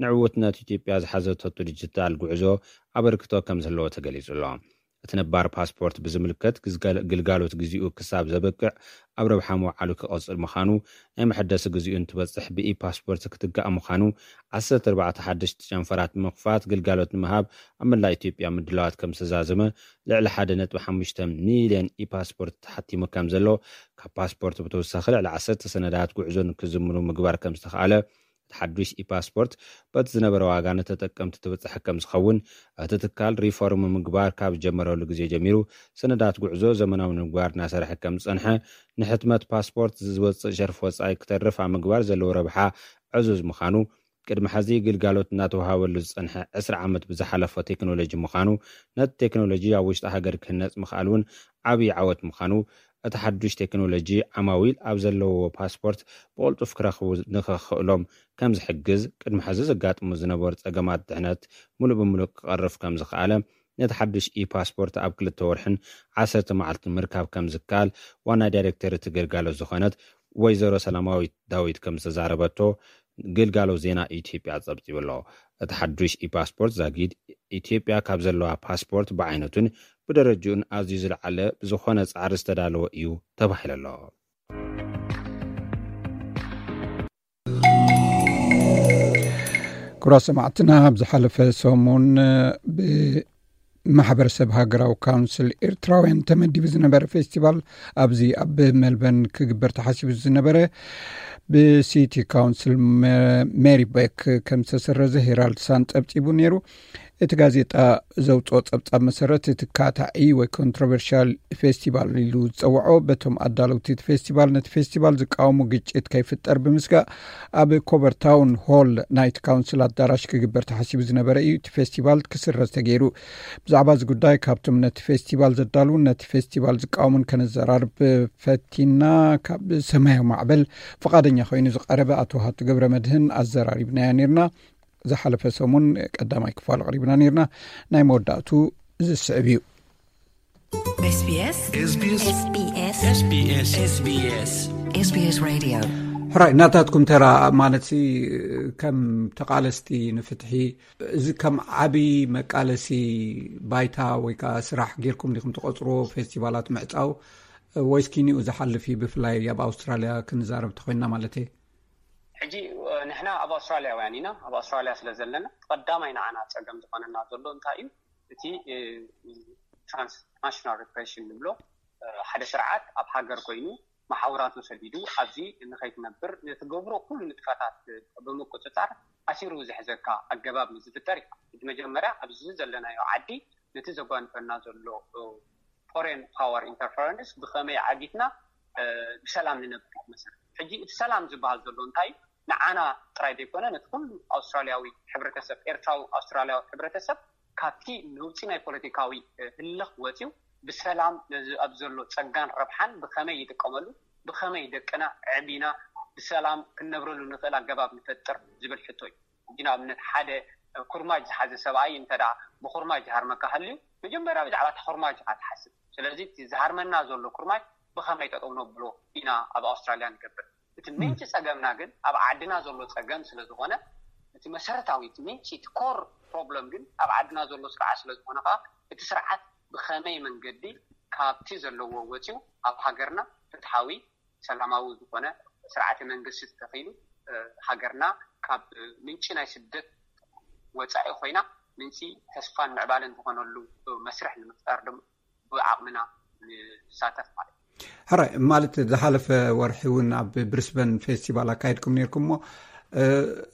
ንዕውትነት ኢትዮጵያ ዝሓዘቶ ዲጂታል ጉዕዞ ኣበርክቶ ከም ዝህለዎ ተገሊጹ ኣሎ። እቲ ነባር ፓስፖርት ብዝምልከት ግዝገል-፣ ግልጋሎት ግዜኡ ክሳብ ዘበቅዕ ኣብ ረብሓ ምውዓሉ ክቐጽል ምዃኑ፣ ናይ መሐደሲ ግዜኡ እንትበጽሕ ብኢ ፓስፖርት ክትጋእ ምዃኑ፣ ዓሰርተ ኣርባዕተ ሓደሽቲ ጨንፈራት ብምኽፋት ግልጋሎት ንምሃብ ኣብ መላእ ኢትዮጵያ ምድላዋት ከም ዝተዛዘመ፣ ልዕሊ ሓደ ነጥቢ ሓሙሽተ ሚልዮን ኢ ፓስፖርት ተሓቲሙ ከም ዘሎ፣ ካብ ፓስፖርት ብተወሳኺ ልዕሊ ዓሰርተ ሰነዳት ጉዕዞ ንክዝምኑ ምግባር ከም ዝተኻእለ፣ እቲ ሓዱሽ ኢፓስፖርት በቲ ዝነበረ ዋጋ ንተጠቀምቲ ተበጻሒ ከም ዝኸውን እቲ ትካል ሪፎርም ምግባር ካብ ዝጀመረሉ ግዜ ጀሚሩ ሰነዳት ጉዕዞ ዘመናዊ ንምግባር እናሰርሐ ከም ዝጸንሐ፣ ንሕትመት ፓስፖርት ዝወጽእ ሸርፊ ወጻኢ ክተርፍ ኣብ ምግባር ዘለዎ ረብሓ ዕዙዝ ምዃኑ፣ ቅድሚ ሕዚ ግልጋሎት እናተወሃበሉ ዝጸንሐ ዕስራ ዓመት ብዝሓለፎ ቴክኖሎጂ ምዃኑ፣ ነቲ ቴክኖሎጂ ኣብ ውሽጢ ሃገር ክህነጽ ምኽኣል እውን ዓብዪ ዓወት ምዃኑ፣ እቲ ሓዱሽ ቴክኖሎጂ ዓማዊል ኣብ ዘለውዎ ፓስፖርት ብቕልጡፍ ክረኽቡ ንኸኽእሎም ከም ዝሕግዝ፣ ቅድሚ ሕዚ ዘጋጥሙ ዝነበሩ ጸገማት ድሕነት ምሉእ ብምሉእ ክቐርፍ ከም ዝኸኣለ፣ ነቲ ሓዱሽ ኢ-ፓስፖርት ኣብ ክልተ ወርሕን ዓሰርተ መዓልትን ምርካብ ከም ዝከኣል ዋና ዳይሬክተር እቲ ግልጋሎት ዝኾነት ወይዘሮ ሰላማዊት ዳዊት ከም ዝተዛረበቶ ግልጋሎት ዜና ኢትዮጵያ ጸብጺቡ ኣሎ። እቲ ሓዱሽ ኢ-ፓስፖርት ዛጊድ ኢትዮጵያ ካብ ዘለዋ ፓስፖርት ብዓይነቱን ብደረጅኡን ኣዝዩ ዝለዓለ ብዝኾነ ጻዕሪ ዝተዳለወ እዩ ተባሂሉ ኣሎ። ክቡራት ሰማዕትና፣ ኣብ ዝሓለፈ ሰሙን ብማሕበረሰብ ሃገራዊ ካውንስል ኤርትራውያን ተመዲቡ ዝነበረ ፌስቲቫል፣ ኣብዚ ኣብ ሜልበርን ክግበር ተሓሲቡ ዝነበረ፣ ብሲቲ ካውንስል መ-፣ ሜሪበክ ከም ዝተሰረዘ ሄራልድ ሳን ጸብጺቡ ነይሩ። እቲ ጋዜጣ ዘውጽኦ ጸብጻብ መሰረት፣ እቲ ካታዒ ወይ ኮንትሮቨርሻል ፌስቲቫል ኢሉ ዝጸውዖ፣ በቶም ኣዳለውቲ እቲ ፌስቲቫል፣ ነቲ ፌስቲቫል ዝቃወሙ ግጭት ከይፍጠር ብምስጋእ፣ ኣብ ኮቨር ታውን ሆል ናይቲ ካውንስል ኣዳራሽ ክግበር ተሓሲቡ ዝነበረ እዩ እቲ ፌስቲቫል ክስረዝ ተገይሩ። ብዛዕባ እዚ ጉዳይ ካብቶም ነቲ ፌስቲቫል ዘዳልዉን ነቲ ፌስቲቫል ዝቃወሙን ከነዘራርብ ፈቲና። ካብ ሰማያዊ ማዕበል ፍቓደኛ ኮይኑ ዝቐረበ ኣቶ ሃቱ ገብረ መድህን ኣዘራሪብናዮ ነይርና። ዝሓለፈ ሰሙን ቀዳማይ ክፋሉ ኣቕሪብና ነይርና። ናይ መወዳእቱ ዝስዕብ እዩ። SBS SBS SBS SBS SBS Radio። ሕራይ፣ ናታትኩም ተራ ማለት ሲ፣ ከም ተቓለስቲ ንፍትሒ፣ እዚ ከም ዓቢ መቃለሲ ባይታ ወይ ከኣ ስራሕ ጌርኩም ዲኹም ትቐጽርዎ፣ ፌስቲቫላት ምዕጻው፣ ወይስ ኪኒኡ ዝሓልፍ እዩ? ብፍላይ ኣብ ኣውስትራልያ ክንዛረብ ተኾይንና ማለት እየ። ሕጂ፣ እ፣ ንሕና ኣብ ኣውስትራልያውያን ኢና። ኣብ ኣውስትራልያ ስለ ዘለና፣ ቀዳማይ ንዓና ጸገም ዝኾነና ዘሎ እንታይ እዩ? እቲ ትራንስናሽናል ሪፕሬሽን ንብሎ ሓደ ስርዓት ኣብ ሃገር ኮይኑ መሓውራቱ ሰዲዱ ኣብዚ ንኸይትነብር ንትገብሮ ኩሉ ንጥፈታት ብምቁፅፃር ኣሲሩ ዝሕዘካ ኣገባብ ንዝፍጠር እዩ። እቲ መጀመርያ ኣብዚ ዘለናዮ ዓዲ ነቲ ዘጓንፈና ዘሎ ፎሬን ፓወር ኢንተርፈረንስ ብኸመይ ዓጊትና ብሰላም ንነብር መሰረት። ሕጂ እቲ ሰላም ዝበሃል ዘሎ እንታይ ንዓና ጥራይ ዘይኮነ ነቲ ኩሉ ኣውስትራልያዊ ሕብረተሰብ፣ ኤርትራዊ ኣውስትራልያዊ ሕብረተሰብ ካብቲ ነውፂ ናይ ፖለቲካዊ ህልኽ ወፂኡ ብሰላም ነዚ ኣብ ዘሎ ፀጋን ረብሓን ብኸመይ ይጥቀመሉ፣ ብኸመይ ደቅና ዕቢና ብሰላም ክንነብረሉ ንኽእል ኣገባብ ንፈጥር ዝብል ሕቶ እዩ። ሕጂ ንኣብነት ሓደ ኩርማጅ ዝሓዘ ሰብኣይ እንተ ብኩርማጅ ዝሃርመካ ሃልዩ መጀመርያ ብዛዕባ እቲ ኩርማጅ ኢኻ ትሓስብ። ስለዚ እቲ ዝሃርመና ዘሎ ኩርማጅ ብኸመይ ጠጠው ነብሎ ኢና ኣብ ኣውስትራልያ ንገብር። እቲ ምንጪ ጸገምና ግን ኣብ ዓድና ዘሎ ጸገም ስለ ዝኾነ እቲ መሰረታዊ እቲ ምንጪ እቲ ኮር ፕሮብለም ግን ኣብ ዓድና ዘሎ ስርዓት ስለ ዝኾነ ከዓ እቲ ስርዓት ብኸመይ መንገዲ ካብቲ ዘለዎ ወፂኡ ኣብ ሃገርና ፍትሓዊ ሰላማዊ ዝኾነ ስርዓተ መንግስቲ ተተኺሉ ሃገርና ካብ ምንጪ ናይ ስደት ወፃኢ ኮይና ምንጪ ተስፋን ምዕባለን ዝኾነሉ መስርሕ ንምፍጣር ድማ ብዓቕምና ንሳተፍ ማለት እዩ። ሕራይ ማለት ዝሓለፈ ወርሒ እውን ኣብ ብሪስበን ፌስቲቫል ኣካይድኩም ነርኩም እሞ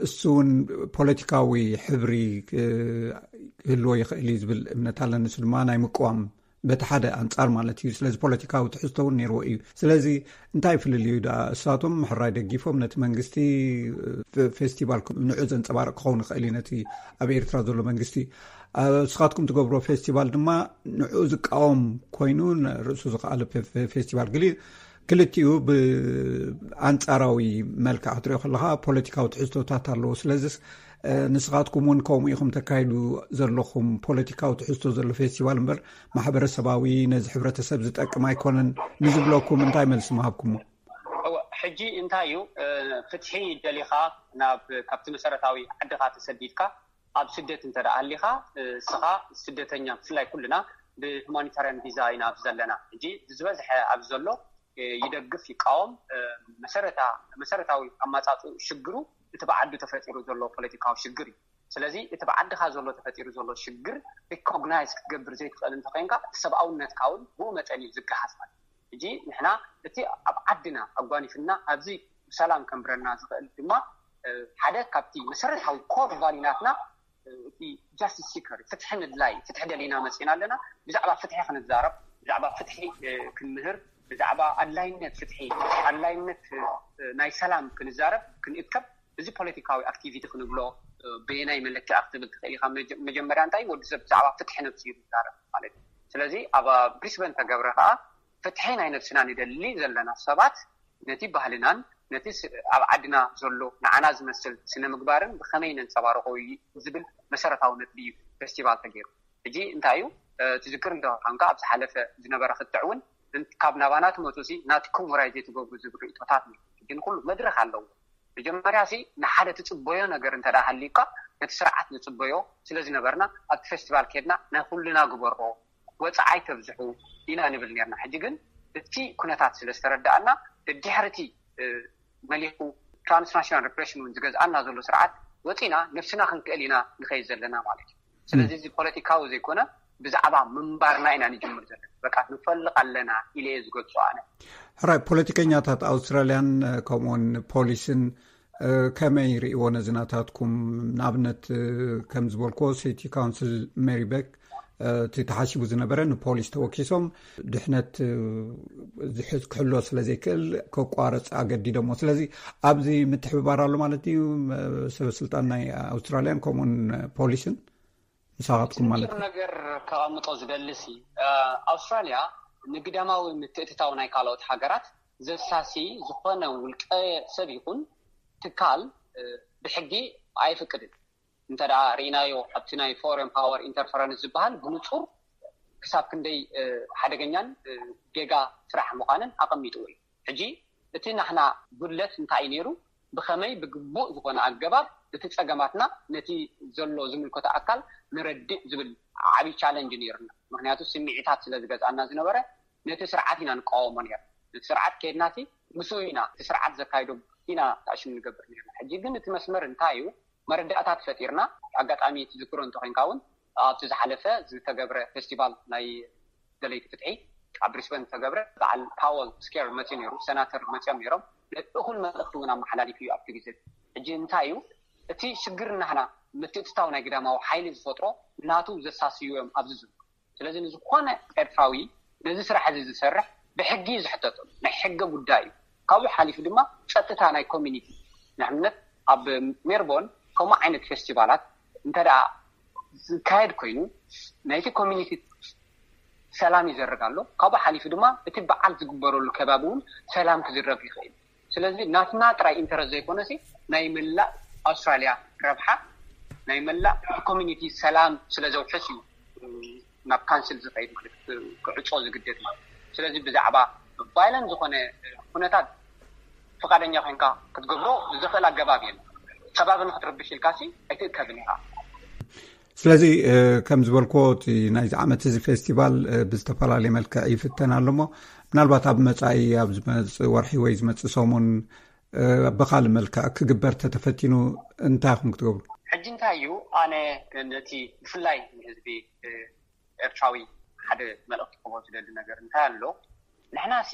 እሱ እውን ፖለቲካዊ ሕብሪ ክህልዎ ይኽእል እዩ ዝብል እምነት ኣለኒ። እሱ ድማ ናይ ምቅዋም በቲ ሓደ ኣንጻር ማለት እዩ። ስለዚ ፖለቲካዊ ትሕዝቶ እውን ነይርዎ እዩ። ስለዚ እንታይ ፍልልዩ ደኣ? እሳቶም ሕራይ ደጊፎም ነቲ መንግስቲ ፌስቲቫል ንዑ ዘንጸባርቕ ክኸውን ይኽእል እዩ ነቲ ኣብ ኤርትራ ዘሎ መንግስቲ። ንስኻትኩም ትገብሮ ፌስቲቫል ድማ ንዑ ዝቃወም ኮይኑ ርእሱ ዝኸኣለ ፌስቲቫል ገሊ ክልቲኡ ብኣንጻራዊ መልክዕ ክትሪኦ ከለኻ ፖለቲካዊ ትሕዝቶታት ኣለዎ። ስለዚስ ንስኻትኩም እውን ከምኡ ኢኹም ተካይዱ ዘለኹም ፖለቲካዊ ትሕዝቶ ዘሎ ፌስቲቫል እምበር ማሕበረሰባዊ ነዚ ሕብረተሰብ ዝጠቅም ኣይኮነን ንዝብለኩም እንታይ መልሲ ምሃብኩሞ? ሕጂ እንታይ እዩ ፍትሒ ደሊኻ ናብ ካብቲ መሰረታዊ ዓድኻ ተሰዲድካ ኣብ ስደት እንተ ደኣ ሃሊኻ እስኻ ስደተኛ ብፍላይ ኩልና ብሁማኒታርያን ቪዛ ኢና ኣብዚ ዘለና። ሕጂ ዝበዝሐ ኣብዚ ዘሎ ይደግፍ ይቃወም መሰረታዊ ኣማፃፅኡ ሽግሩ እቲ ብዓዱ ተፈጢሩ ዘሎ ፖለቲካዊ ሽግር እዩ። ስለዚ እቲ ብዓድኻ ዘሎ ተፈጢሩ ዘሎ ሽግር ሪኮግናይዝ ክትገብር ዘይትኽእል እንተኮይንካ እቲ ሰብኣውነትካ እውን ብኡ መጠን እዩ ዝገሃስ ማለት እዩ። ሕጂ ንሕና እቲ ኣብ ዓድና ኣጓኒፍና ኣብዚ ብሰላም ከንብረና ዝኽእል ድማ ሓደ ካብቲ መሰረታዊ ኮር ቫሊናትና እቲ ጃስቲስ ሲከር ፍትሒ ምድላይ ፍትሒ ደሊና መፂና ኣለና። ብዛዕባ ፍትሒ ክንዛረብ ብዛዕባ ፍትሒ ክንምህር ብዛዕባ ኣድላይነት ፍትሒ ኣድላይነት ናይ ሰላም ክንዛረብ ክንእከብ እዚ ፖለቲካዊ ኣክቲቪቲ ክንብሎ በየናይ መለክዕ ክትብል ትኽእል ኢኻ። መጀመርያ እንታይ ወዲ ሰብ ብዛዕባ ፍትሒ ነብሱ እዩ ዝዛረብ ማለት እዩ። ስለዚ ኣብ ብሪስበን ተገብረ ከዓ ፍትሒ ናይ ነብስና ንደሊ ዘለና ሰባት ነቲ ባህልናን ነቲ ኣብ ዓድና ዘሎ ንዓና ዝመስል ስነ ምግባርን ብኸመይ ነንፀባርቆ ዝብል መሰረታዊ ነጥቢ እዩ ፌስቲቫል ተገይሩ። ሕጂ እንታይ እዩ ትዝክር እንተኾንካ ኣብ ዝሓለፈ ዝነበረ ክትዕ እውን ካብ ናባና ትመፁ ሲ ናትኩም ወራይ ዘይትገብሩ ዝብል ርእቶታት ግን ኩሉ መድረክ ኣለዎ። መጀመርያ ሲ ንሓደ ትፅበዮ ነገር እንተ ሃሊካ ነቲ ስርዓት ንፅበዮ ስለ ዝነበርና ኣብቲ ፌስቲቫል ከድና ናይ ኩልና ግበሮ ወፃዓይ ተብዝሑ ኢና ንብል ነርና። ሕጂ ግን እቲ ኩነታት ስለ ዝተረዳኣና ድድሕርቲ መሊኹ ትራንስናሽናል ሪፕሬሽን እውን ዝገዝኣና ዘሎ ስርዓት ወፂና ነብስና ክንክእል ኢና ንኸይድ ዘለና ማለት እዩ። ስለዚ እዚ ፖለቲካዊ ዘይኮነ ብዛዕባ ምንባርና ኢና ንጅምር ዘለና። በቃ ንፈልቕ ኣለና ኢለ እየ ዝገልፆ ኣነ። ሕራይ ፖለቲከኛታት ኣውስትራልያን ከምኡውን ፖሊስን ከመይ ርእዎ ነዚ ናታትኩም? ንኣብነት ከም ዝበልክዎ ሲቲ ካውንስል ሜሪ ቤክ እቲ ተሓሲቡ ዝነበረ ንፖሊስ ተወኪሶም ድሕነት ዝሕዝ ክሕሎ ስለ ዘይክእል ከቋረፅ ኣገዲዶሞ። ስለዚ ኣብዚ ምትሕብባር ኣሎ ማለት እዩ። ሰበ ስልጣን ናይ ኣውስትራልያን ከምኡን ፖሊስን ምሳኻትኩም ማለት እዩ። ነገር ከቐምጦ ዝደልሲ ኣውስትራልያ ንግዳማዊ ምትእትታው ናይ ካልኦት ሃገራት ዘሳሲ ዝኾነ ውልቀ ሰብ ይኹን ትካል ብሕጊ ኣይፍቅድን። እንተ ርኢናዮ ኣብቲ ናይ ፎረን ፓወር ኢንተርፈረንስ ዝበሃል ብንፁር ክሳብ ክንደይ ሓደገኛን ጌጋ ስራሕ ምዃንን ኣቐሚጥዎ እዩ። ሕጂ እቲ ናሕና ጉድለት እንታይ እዩ ነይሩ? ብኸመይ ብግቡእ ዝኾነ ኣገባብ እቲ ፀገማትና ነቲ ዘሎ ዝምልከቶ ኣካል ንረድእ ዝብል ዓብዪ ቻለንጅ ነይሩና። ምክንያቱ ስምዒታት ስለ ዝገዝኣና ዝነበረ ነቲ ስርዓት ኢና ንቃወሞ ነር ነቲ ስርዓት ከድናሲ ምስ ኢና እቲ ስርዓት ዘካይዶ ኢና ተኣሽም ንገብር ነርና። ሕጂ ግን እቲ መስመር እንታይ እዩ? መረዳእታት ፈጢርና ኣጋጣሚ ትዝክሮ እንተኮንካ እውን ኣብቲ ዝሓለፈ ዝተገብረ ፌስቲቫል ናይ ደለይቲ ፍትሒ ኣብ ብሪስበን ዝተገብረ በዓል ፓወል ስኬር መፅኡ ነይሩ፣ ሰናተር መፅኦም ነይሮም። እኹል መልእኽቲ እውን ኣመሓላሊፉ እዩ ኣብቲ ግዜ። ሕጂ እንታይ እዩ እቲ ሽግር? ናህና ምትእትታው ናይ ግዳማዊ ሓይሊ ዝፈጥሮ ናቱ ዘሳስዩ እዮም ኣብዚ ዝብሉ። ስለዚ ንዝኾነ ኤርትራዊ ነዚ ስራሕ እዚ ዝሰርሕ ብሕጊ እዩ ዝሕተተሉ፣ ናይ ሕገ ጉዳይ እዩ። ካብኡ ሓሊፉ ድማ ጸጥታ ናይ ኮሚኒቲ፣ ንኣብነት ኣብ ሜርቦን ከምኡ ዓይነት ፌስቲቫላት እንተ ደኣ ዝካየድ ኮይኑ ናይቲ ኮሚኒቲ ሰላም ይዘርግ ኣሎ። ካብኡ ሓሊፉ ድማ እቲ በዓል ዝግበረሉ ከባቢ እውን ሰላም ክዝረግ ይኽእል። ስለዚ ናትና ጥራይ ኢንተረስት ዘይኮነሲ ናይ መላእ ኣውስትራልያ ረብሓ፣ ናይ መላእ ኮሚኒቲ ሰላም ስለ ዘውሕስ እዩ ናብ ካንስል ዝኸይድ ማለት ክዕጾ ዝግደድ ማለት። ስለዚ ብዛዕባ ቫይለንት ዝኾነ ኩነታት ፍቓደኛ ኮይንካ ክትገብሮ ዝኽእል ኣገባብ የለን። ከባቢ ንክትርብሽ ኢልካሲ ኣይትእከብን ኢኻ። ስለዚ ከም ዝበልክዎ እቲ ናይዚ ዓመት እዚ ፌስቲቫል ብዝተፈላለየ መልክዕ ይፍተን ኣሎ እሞ ምናልባት ኣብ መፃኢ ኣብ ዝመፅእ ወርሒ ወይ ዝመፅእ ሰሙን ብካልእ መልክዕ ክግበር ተተፈቲኑ እንታይ ኢኹም ክትገብሩ? ሕጂ እንታይ እዩ ኣነ ነቲ ብፍላይ ንህዝቢ ኤርትራዊ ሓደ መልእኽቲ ክህቦ ዝደሊ ነገር እንታይ ኣሎ? ንሕናሲ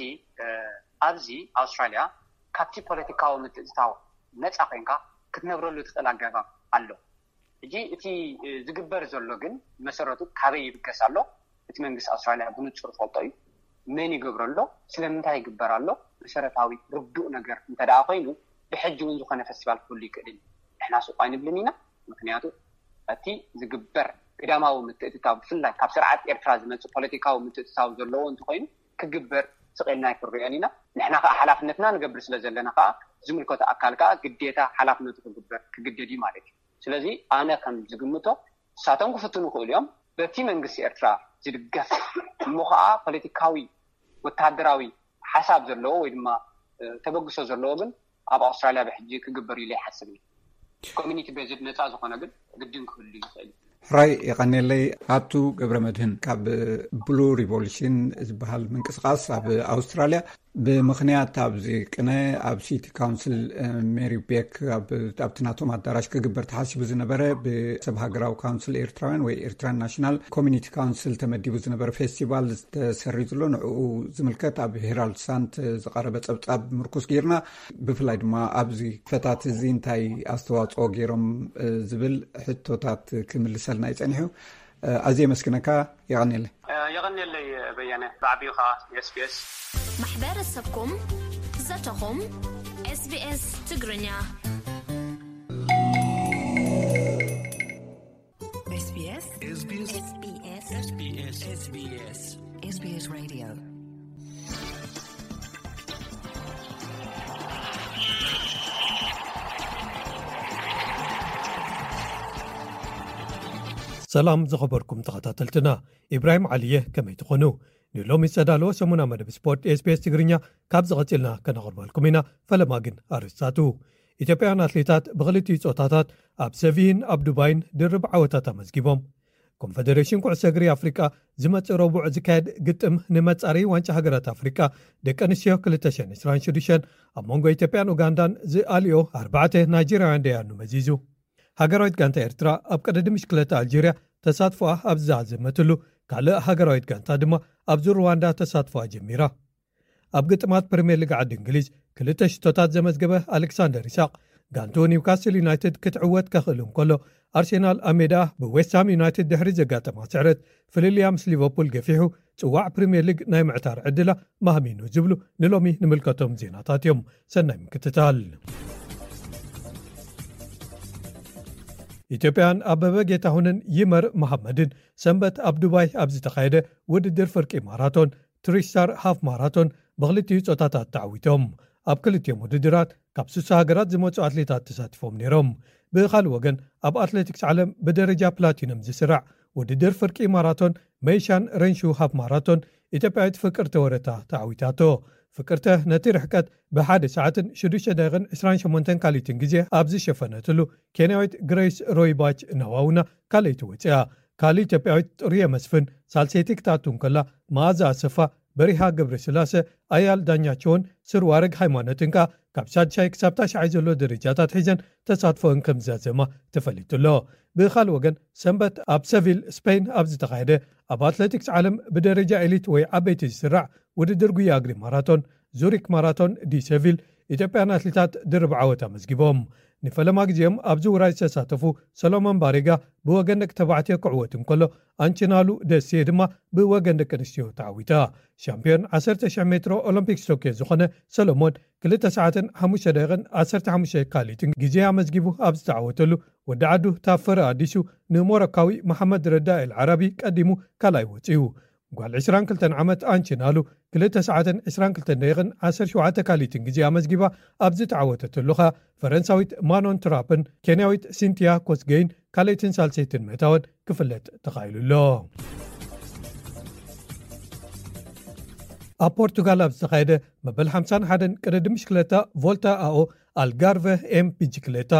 ኣብዚ ኣውስትራልያ ካብቲ ፖለቲካዊ ምትእትታው ነፃ ኮይንካ ክትነብረሉ ትኽእል ኣገባብ ኣሎ። ሕጂ እቲ ዝግበር ዘሎ ግን መሰረቱ ካበይ ይብገስ ኣሎ? እቲ መንግስቲ ኣውስትራልያ ብንጹር ዝፈልጦ እዩ። መን ይገብሮ ኣሎ? ስለምንታይ ይግበር ኣሎ? መሰረታዊ ርዱእ ነገር እንተ ደኣ ኮይኑ ብሕጂ እውን ዝኾነ ፌስቲቫል ክህሉ ይክእል እዩ። ንሕና ስቕ ኣይንብልን ኢና። ምክንያቱ እቲ ዝግበር ግዳማዊ ምትእትታው ብፍላይ ካብ ስርዓት ኤርትራ ዝመፅእ ፖለቲካዊ ምትእትታው ዘለዎ እንተኮይኑ ክግበር ስቕ ኢልና ኣይክንሪኦን ኢና። ንሕና ከዓ ሓላፍነትና ንገብር ስለ ዘለና ከዓ ዝምልከቶ ኣካል ከዓ ግዴታ ሓላፍነቱ ክግበር ክግደድ እዩ ማለት እዩ። ስለዚ ኣነ ከም ዝግምቶ ንሳቶም ክፍትኑ ይኽእሉ እዮም። በቲ መንግስቲ ኤርትራ ዝድገፍ እሞ ከዓ ፖለቲካዊ ወታደራዊ ሓሳብ ዘለዎ ወይ ድማ ተበግሶ ዘለዎ ግን ኣብ ኣውስትራልያ ብሕጂ ክግበር ኢለ ይሓስብ። ኮሚኒቲ ቤዝድ ነፃ ዝኾነ ግን ግድን ክህሉ ይኽእል። ሕራይ የቐኔለይ። ኣቱ ገብረ መድህን ካብ ብሉ ሪቮሉሽን ዝበሃል ምንቅስቃስ ኣብ ኣውስትራልያ ብምኽንያት ኣብዚ ቅነ ኣብ ሲቲ ካውንስል ሜሪ ቤክ ኣብቲ ናቶም ኣዳራሽ ክግበር ተሓሲቡ ዝነበረ ብሰብ ሃገራዊ ካውንስል ኤርትራውያን ወይ ኤርትራን ናሽናል ኮሚኒቲ ካውንስል ተመዲቡ ዝነበረ ፌስቲቫል ዝተሰሪዙ ኣሎ። ንዕኡ ዝምልከት ኣብ ሄራልድ ሳንት ዝቐረበ ጸብጻብ ምርኩስ ጌርና ብፍላይ ድማ ኣብዚ ፈታት እዚ እንታይ ኣስተዋጽኦ ገይሮም ዝብል ሕቶታት ክምልሰልና ይጸኒሑ። ኣዝየ የመስግነካ። የቐንየለይ። የቐንየለይ በየነ፣ ብዓቢኡ ከዓ ኤስቢኤስ። ማሕበረሰብኩም፣ ዘተኹም፣ ኤስቢኤስ ትግርኛ። SBS SBS SBS SBS SBS Radio. ሰላም ዝኸበርኩም ተኸታተልትና፣ ኢብራሂም ዓሊየ፣ ከመይ ትኾኑ? ንሎሚ ዝተዳለወ ሰሙና መደብ ስፖርት SBS ትግርኛ ካብ ዝቐጽልና ከነቕርበልኩም ኢና። ፈለማ ግን ኣርእስታቱ። ኢትዮጵያውያን ኣትሌታት ብኽልቲኡ ጾታታት ኣብ ሰቪህን ኣብ ዱባይን ድርብ ዓወታት ኣመዝጊቦም። ኮንፈደሬሽን ኩዕሶ እግሪ ኣፍሪቃ ዝመጽእ ረቡዕ ዝካየድ ግጥም ንመጻረዪ ዋንጫ ሃገራት ኣፍሪቃ ደቂ ኣንስትዮ ክልተ ሽሕን ዕስራን ሽዱሽተን ኣብ መንጎ ኢትዮጵያን ኡጋንዳን ዝኣልዮ ኣርባዕተ ናይጀርያውያን ደያኑ መዚዙ። ሃገራዊት ጋንታ ኤርትራ ኣብ ቀደዲ ምሽክለታ ኣልጀርያ ተሳትፎኣ ኣብ ዝዛዘመትሉ፣ ካልእ ሃገራዊት ጋንታ ድማ ኣብዚ ሩዋንዳ ተሳትፎኣ ጀሚራ። ኣብ ግጥማት ፕሪምየር ሊግ ዓዲ እንግሊዝ ክልተ ሽቶታት ዘመዝገበ ኣሌክሳንደር ኢሳቕ፣ ጋንትኡ ኒውካስል ዩናይትድ ክትዕወት ከኽእል እንከሎ፣ ኣርሴናል ኣብ ሜዳ ብዌስትሃም ዩናይትድ ድሕሪ ዘጋጠማ ስዕረት ፍልልያ ምስ ሊቨርፑል ገፊሑ ጽዋዕ ፕሪምየር ሊግ ናይ ምዕታር ዕድላ ማህሚኑ ዝብሉ ንሎሚ ንምልከቶም ዜናታት እዮም። ሰናይ ምክትታል። ኢትዮጵያን ኣበበ ጌታሁንን ይመር መሓመድን ሰንበት ኣብ ዱባይ ኣብ ዝተኻየደ ውድድር ፍርቂ ማራቶን ትሪስታር ሃፍ ማራቶን ብክልቲኡ ጾታታት ተዓዊቶም። ኣብ ክልቲኦም ውድድራት ካብ ስሳ ሃገራት ዝመጹ ኣትሌታት ተሳቲፎም ነይሮም። ብኻልእ ወገን ኣብ ኣትሌቲክስ ዓለም ብደረጃ ፕላቲነም ዝስራዕ ውድድር ፍርቂ ማራቶን መይሻን ረንሹ ሃፍ ማራቶን ኢትዮጵያዊት ፍቅርተ ወረታ ተዓዊታቶ። ፍቅርተ ነቲ ርሕቀት ብሓደ ሰዓትን ሽዱሽተ ደቂቕን ዕስራን ሸሞንተን ካልኢትን ግዜ ኣብ ዝሸፈነትሉ ኬንያዊት ግሬስ ሮይባች ናዋውና ካልኣይቲ ወፂኣ። ካልእ ኢትዮጵያዊት ጥሩየ መስፍን ሳልሰይቲ ክትኣቱ እንከላ መኣዛ ኣሰፋ በሪሃ ገብረስላሰ፣ ኣያል ዳኛቸውን ስርዋረግ ሃይማኖትን ከኣ ካብ ሳድሻይ ክሳብ ታሽዓይ ዘሎ ደረጃታት ሒዘን ተሳትፎን ከም ዝዛዘማ ተፈሊጡ ኣሎ። ብኻልእ ወገን፣ ሰንበት ኣብ ሰቪል ስፔን ኣብ ዝተኻየደ ኣብ ኣትሌቲክስ ዓለም ብደረጃ ኤሊት ወይ ዓበይቲ ዝስራዕ ውድድር ጉያ እግሪ ማራቶን፣ ዙሪክ ማራቶን ዲ ሰቪል፣ ኢትዮጵያን ኣትሌታት ድርብ ዓወት ኣመዝጊቦም። ንፈለማ ግዜኦም ኣብዚ ውራይ ዝተሳተፉ ሰሎሞን ባሬጋ ብወገን ደቂ ተባዕትዮ ክዕወት እንከሎ፣ ኣንችናሉ ደሴ ድማ ብወገን ደቂ ኣንስትዮ ተዓዊታ። ሻምፒዮን ዓሰርተ ሽሕ ሜትሮ ኦሎምፒክስ ቶክዮ ዝኾነ ሰሎሞን፣ ክልተ ሰዓትን ሓሙሽተ ደቂቕን ዓሰርተ ሓሙሽተ ካሊትን ግዜ ኣመዝጊቡ ኣብ ዝተዓወተሉ፣ ወዲ ዓዱ ታፈረ ኣዲሱ ንሞሮካዊ መሓመድ ረዳ ኤል ዓራቢ ቀዲሙ ካልኣይ ወጺኡ። ጓል ዕስራን ክልተን ዓመት ኣንችናሉ፣ ክልተ ሰዓትን ዕስራን ክልተን ደቂቕን ዓሰርተ ሸውዓተ ካሊትን ግዜ ኣመዝጊባ ኣብ ዝተዓወተትሉ ኸኣ፣ ፈረንሳዊት ማኖን ትራፕን ኬንያዊት ሲንቲያ ኮስጌይን ካልኣይትን ሳልሰይትን ምእታወን ክፍለጥ ተኻኢሉ ኣሎ። ኣብ ፖርቱጋል ኣብ ዝተኻየደ መበል ሓምሳን ሓደን ቅድድም ብሽክለታ ቮልታ ኣኦ ኣልጋርቨ ኤም ብሽክለታ፣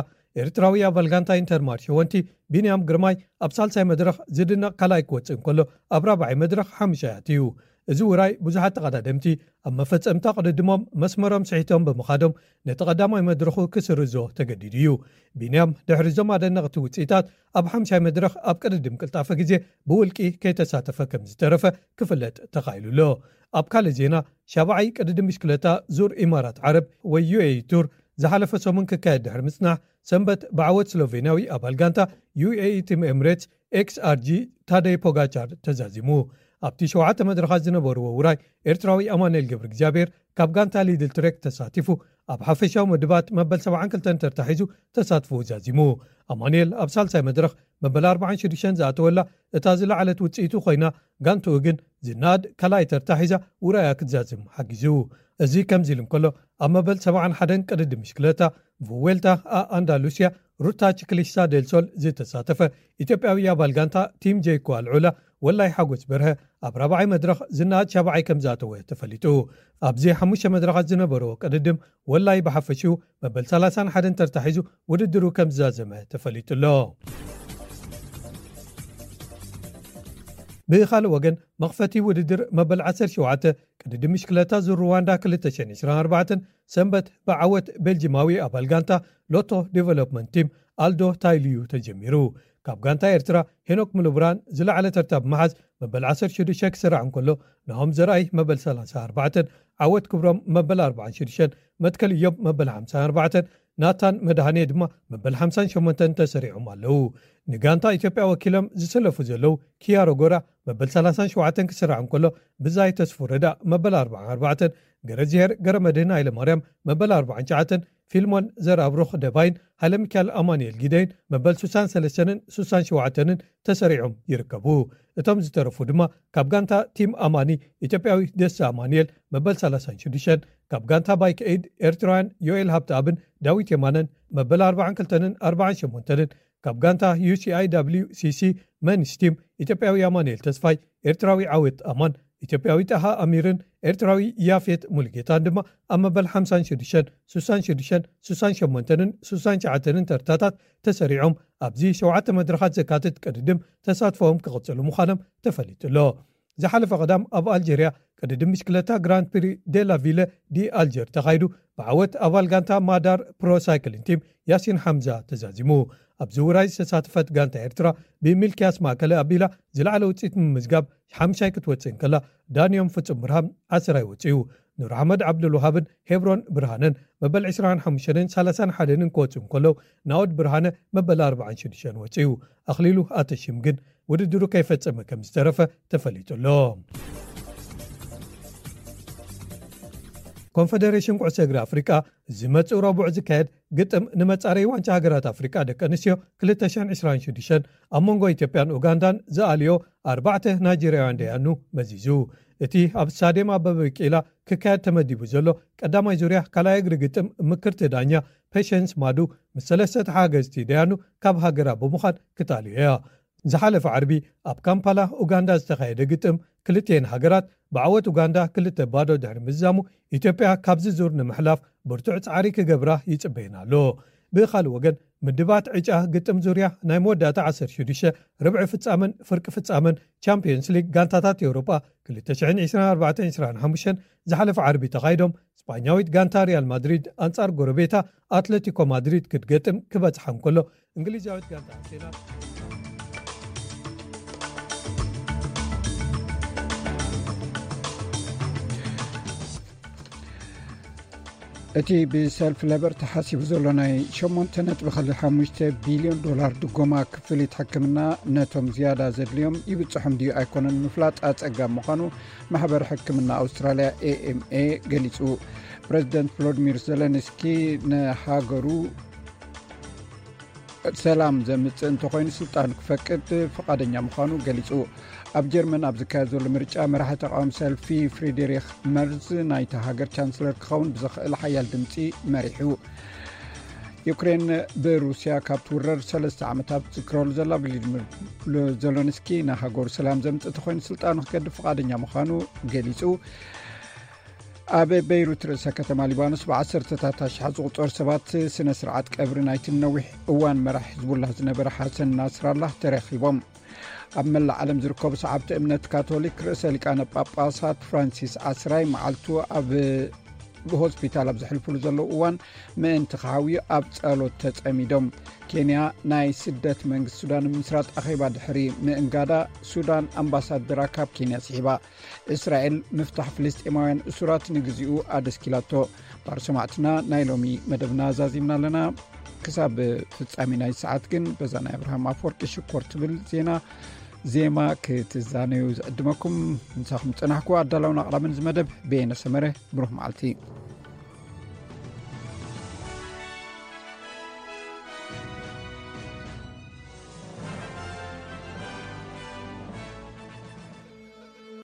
ኤርትራዊ ኣባል ጋንታ ኢንተርማር ሸወንቲ ቢንያም ግርማይ ኣብ ሳልሳይ መድረኽ ዝድነቕ ካልኣይ ክወጽእ እንከሎ፣ ኣብ ራብዓይ መድረኽ ሓሙሻይ ኣትዩ። እዚ ውራይ ብዙሓት ተቐዳደምቲ ኣብ መፈጸምታ ቅድድሞም መስመሮም ስሒቶም ብምኻዶም፣ ነቲ ቀዳማይ መድረኹ ክስርዞ ተገዲዱ እዩ። ቢንያም ድሕሪ እዞም ኣደነቕቲ ውጽኢታት ኣብ ሓምሻይ መድረኽ ኣብ ቅድድም ቅልጣፈ ግዜ ብውልቂ ከይተሳተፈ ከም ዝተረፈ ክፍለጥ ተኻኢሉ ኣሎ። ኣብ ካልእ ዜና፣ ሻብዓይ ቅድድም ብሽክለታ ዙር ኢማራት ዓረብ ወይ ዩ ኤ ኢ ቱር ዝሓለፈ ሰሙን ክካየድ ድሕሪ ምጽናሕ፣ ሰንበት ብዓወት ስሎቬንያዊ ኣባል ጋንታ ዩ ኤ ኢ ቲም ኤምሬትስ ኤክስ ኣር ጂ ታደይ ፖጋቻር ተዛዚሙ። ኣብቲ ሸውዓተ መድረኻት ዝነበርዎ ውራይ፣ ኤርትራዊ ኣማኑኤል ገብረ እግዚኣብሔር ካብ ጋንታ ሊድል ትሬክ ተሳቲፉ፣ ኣብ ሓፈሻዊ ምድባት መበል ሰብዓን ክልተን ተርታ ሒዙ ተሳትፎ ዛዚሙ። ኣማኑኤል ኣብ ሳልሳይ መድረኽ መበል ኣርባዓን ሽዱሽተን ዝኣተወላ እታ ዝለዓለት ውጽኢቱ ኮይና፣ ጋንትኡ ግን ዝነኣድ ካልኣይ ተርታ ሒዛ ውራያ ክትዛዝም ሓጊዙ። እዚ ከምዚ ኢሉ እንከሎ፣ ኣብ መበል ሰብዓን ሓደን ቅድድም ብሽክለታ ቭዌልታ ኣ ኣንዳሉስያ ሩታ ቺክሊስታ ዴል ሶል ዝተሳተፈ ኢትዮጵያዊ ኣባል ጋንታ ቲም ጄኮ ኣልዑላ ወላይ ሓጎስ በርሀ ኣብ ራብዓይ መድረኽ ዝነኣድ ሻብዓይ ከም ዝኣተወ ተፈሊጡ። ኣብዚ ሓሙሽተ መድረኻት ዝነበረዎ ቅድድም ወላይ ብሓፈሽኡ መበል ሰላሳን ሓደን ተርታ ሒዙ ውድድሩ ከም ዝዛዘመ ተፈሊጡ ኣሎ። ብኻልእ ወገን፣ መኽፈቲ ውድድር መበል ዓሰርተ ሸውዓተ ቅድድም ብሽክለታ ዙር ሩዋንዳ ክልተ ሽሕን ዕስራን ኣርባዕተን ሰንበት ብዓወት ቤልጂማዊ ኣባል ጋንታ ሎቶ ዴቨሎፕመንት ቲም ኣልዶ ታይሊዩ ተጀሚሩ። ካብ ጋንታ ኤርትራ ሄኖክ ምሉብራን ዝለዓለ ተርታ ብምሓዝ መበል ዓሰርተ ሽዱሽተ ክስራዕ እንከሎ፣ ናሆም ዘርኣይ መበል ሰላሳን ኣርባዕተን፣ ዓወት ክብሮም መበል ኣርባዓን ሽዱሽተን፣ መትከል ኢዮብ መበል ሓምሳን ኣርባዕተን፣ ናታን መድሃኔ ድማ መበል ሓምሳን ሸሞንተን ተሰሪዖም ኣለዉ። ንጋንታ ኢትዮጵያ ወኪሎም ዝሰለፉ ዘለዉ ኪያሮ ጎራ መበል ሰላሳን ሸውዓተን ክስራዕ እንከሎ፣ ብዛይ ተስፉ ረዳ መበል ኣርባዓን ኣርባዕተን፣ ገረዝሄር ገረመድህን ሃይለማርያም መበል ኣርባዓን ትሽዓተን፣ ፊልሞን ዘርኣብሩኽ ደባይን ሃይለ ሚካኤል ኣማኑኤል ጊደይን መበል ሱሳን ሰለስተንን ሱሳን ሸውዓተንን ተሰሪዖም ይርከቡ። እቶም ዝተረፉ ድማ ካብ ጋንታ ቲም ኣማኒ ኢትዮጵያዊ ደስታ ኣማኑኤል መበል ሰላሳን ሽዱሽተን፣ ካብ ጋንታ ባይክ ኤድ ኤርትራውያን ዮኤል ሃብተኣብን ዳዊት የማነን መበል ኣርባዓን ክልተንን ኣርባዓን ሸሞንተንን፣ ካብ ጋንታ ዩ ሲ ኣይ ደብሊው ሲ ሲ መንስ ቲም ኢትዮጵያዊ ኣማኑኤል ተስፋይ፣ ኤርትራዊ ዓወት ኣማን፣ ኢትዮጵያዊ ጣሃ ኣሚርን ኤርትራዊ ያፌት ሙሉጌታን ድማ ኣብ መበል ሓምሳን ሽዱሽተን፣ ሱሳን ሽዱሽተን፣ ሱሳን ሸሞንተንን ሱሳን ትሽዓተንን ተርታታት ተሰሪዖም ኣብዚ ሸውዓተ መድረኻት ዘካትት ቅድድም ተሳትፎኦም ክቕጽሉ ምዃኖም ተፈሊጡ ኣሎ። ዝሓለፈ ቀዳም ኣብ ኣልጀርያ ቅድድም ብሽክለታ ግራንድ ፕሪ ዴላ ቪለ ዲ ኣልጀር ተኻይዱ፣ ብዓወት ኣባል ጋንታ ማዳር ፕሮ ሳይክሊን ቲም ያሲን ሓምዛ ተዛዚሙ። ኣብዚ ውራይ ዝተሳተፈት ጋንታ ኤርትራ ብሚልክያስ ማእከለ ኣቢላ ዝለዓለ ውጽኢት ንምምዝጋብ ሓምሻይ ክትወጽእ እንከላ፣ ዳንዮም ፍጹም ብርሃን ዓስራይ ወጺኡ። ኑር ኣሕመድ ዓብዱልውሃብን ሄብሮን ብርሃነን መበል ዕስራን ሓሙሽተን ሰላሳን ሓደን ክወጽኡ እንከለዉ፣ ናኦድ ብርሃነ መበል ኣርባዓን ሽዱሽተን ወጺኡ። ኣኽሊሉ ኣተሽም ግን ውድድሩ ከይፈጸመ ከም ዝተረፈ ተፈሊጡ ኣሎ። ኮንፈደሬሽን ኩዕሶ እግሪ ኣፍሪቃ ዝመጽእ ረቡዕ ዝካየድ ግጥም ንመጻረይ ዋንጫ ሃገራት ኣፍሪቃ ደቂ ኣንስትዮ ክልተ ሽሕን ዕስራን ሽዱሽተን ኣብ መንጎ ኢትዮጵያን ኡጋንዳን ዝኣልዮ ኣርባዕተ ናይጀርያውያን ደያኑ መዚዙ። እቲ ኣብ ስታድየም ኣበበ ቢቂላ ክካየድ ተመዲቡ ዘሎ ቀዳማይ ዙርያ ካልኣይ እግሪ ግጥም፣ ምክርቲ ዳኛ ፔሸንስ ማዱ ምስ ሰለስተ ተሓጋገዝቲ ደያኑ ካብ ሃገራ ብምዃን ክትኣልዮ እያ። ዝሓለፈ ዓርቢ ኣብ ካምፓላ ኡጋንዳ ዝተኻየደ ግጥም፣ ክልቲኤን ሃገራት ብዓወት ኡጋንዳ ክልተ ባዶ ድሕሪ ምዝዛሙ፣ ኢትዮጵያ ካብዚ ዙር ንምሕላፍ ብርቱዕ ጻዕሪ ክገብራ ይጽበየን ኣሎ። ብኻልእ ወገን፣ ምድባት ዕጫ ግጥም ዙርያ ናይ መወዳእታ ዓሰርተ ሽዱሽተ ርብዒ ፍጻመን ፍርቂ ፍጻመን ቻምፒዮንስ ሊግ ጋንታታት ኤውሮጳ ክልተ ሽሕን ዕስራን ኣርባዕተን ዕስራን ሓሙሽተን ዝሓለፈ ዓርቢ ተኻይዶም፣ ስጳኛዊት ጋንታ ሪያል ማድሪድ ኣንጻር ጎረቤታ ኣትለቲኮ ማድሪድ ክትገጥም ክበጽሓ እንከሎ፣ እንግሊዛዊት ጋንታ ኣርሴናል እቲ ብሰልፊ ለበር ተሓሲቡ ዘሎ ናይ ሸሞንተ ነጥቢ ሓሙሽተ ቢልዮን ዶላር ድጎማ ክፍሊት ሕክምና ነቶም ዝያዳ ዘድልዮም ይብጽሖም ድዩ ኣይኮነን ምፍላጥ ኣጸጋም ምዃኑ ማሕበር ሕክምና ኣውስትራልያ ኤ ኤም ኤ ገሊጹ። ፕረዚደንት ቮሎዲሚር ዘለንስኪ ንሃገሩ ሰላም ዘምጽእ እንተኾይኑ ስልጣን ክፈቅድ ፍቓደኛ ምዃኑ ገሊጹ። ኣብ ጀርመን ኣብ ዝካየድ ዘሎ ምርጫ መራሒ ተቃዋሚ ሰልፊ ፍሪድሪክ መርዝ ናይታ ሃገር ቻንስለር ክኸውን ብዝኽእል ሓያል ድምጺ መሪሑ። ዩክሬን ብሩስያ ካብ ትውረር ሰለስተ ዓመታት ዝክረሉ ዘላ ቭላዲሚር ዘለንስኪ ንሃገሩ ሰላም ዘምጽእ እንተኾይኑ ስልጣኑ ክገድፍ ፍቓደኛ ምዃኑ ገሊጹ። ኣብ በይሩት ርእሰ ከተማ ሊባኖስ ብዓሰርተታት ኣሽሓት ዝቑጸሩ ሰባት ስነ ስርዓት ቀብሪ ናይቲ ነዊሕ እዋን መራሕ ሕዝቡላህ ዝነበረ ሓሰን ናስራላህ ተረኺቦም። ኣብ መላእ ዓለም ዝርከቡ ሰዓብቲ እምነት ካቶሊክ ርእሰ ሊቃነ ጳጳሳት ፍራንሲስ ዓስራይ መዓልቱ ኣብ ብሆስፒታል ኣብ ዘሕልፍሉ ዘለዉ እዋን ምእንቲ ክሓውዩ ኣብ ጸሎት ተጸሚዶም። ኬንያ ናይ ስደት መንግስቲ ሱዳን ንምስራት ኣኼባ ድሕሪ ምእንጋዳ ሱዳን ኣምባሳደራ ካብ ኬንያ ስሒባ። እስራኤል ምፍታሕ ፍልስጤማውያን እሱራት ንግዚኡ ኣደስኪላቶ። ባር ሰማዕትና ናይ ሎሚ መደብና ዛዚምና ኣለና። ክሳብ ፍጻሜ ናይ ሰዓት ግን በዛ ናይ ኣብርሃም ኣፈወርቂ ሽኮር ትብል ዜና ዜማ ክትዛነዩ ዝዕድመኩም። ምሳኹም ዝጸናሕኩ ኣዳላውን ኣቕራብን እዚ መደብ በየነ ሰመረ። ብሩኽ መዓልቲ።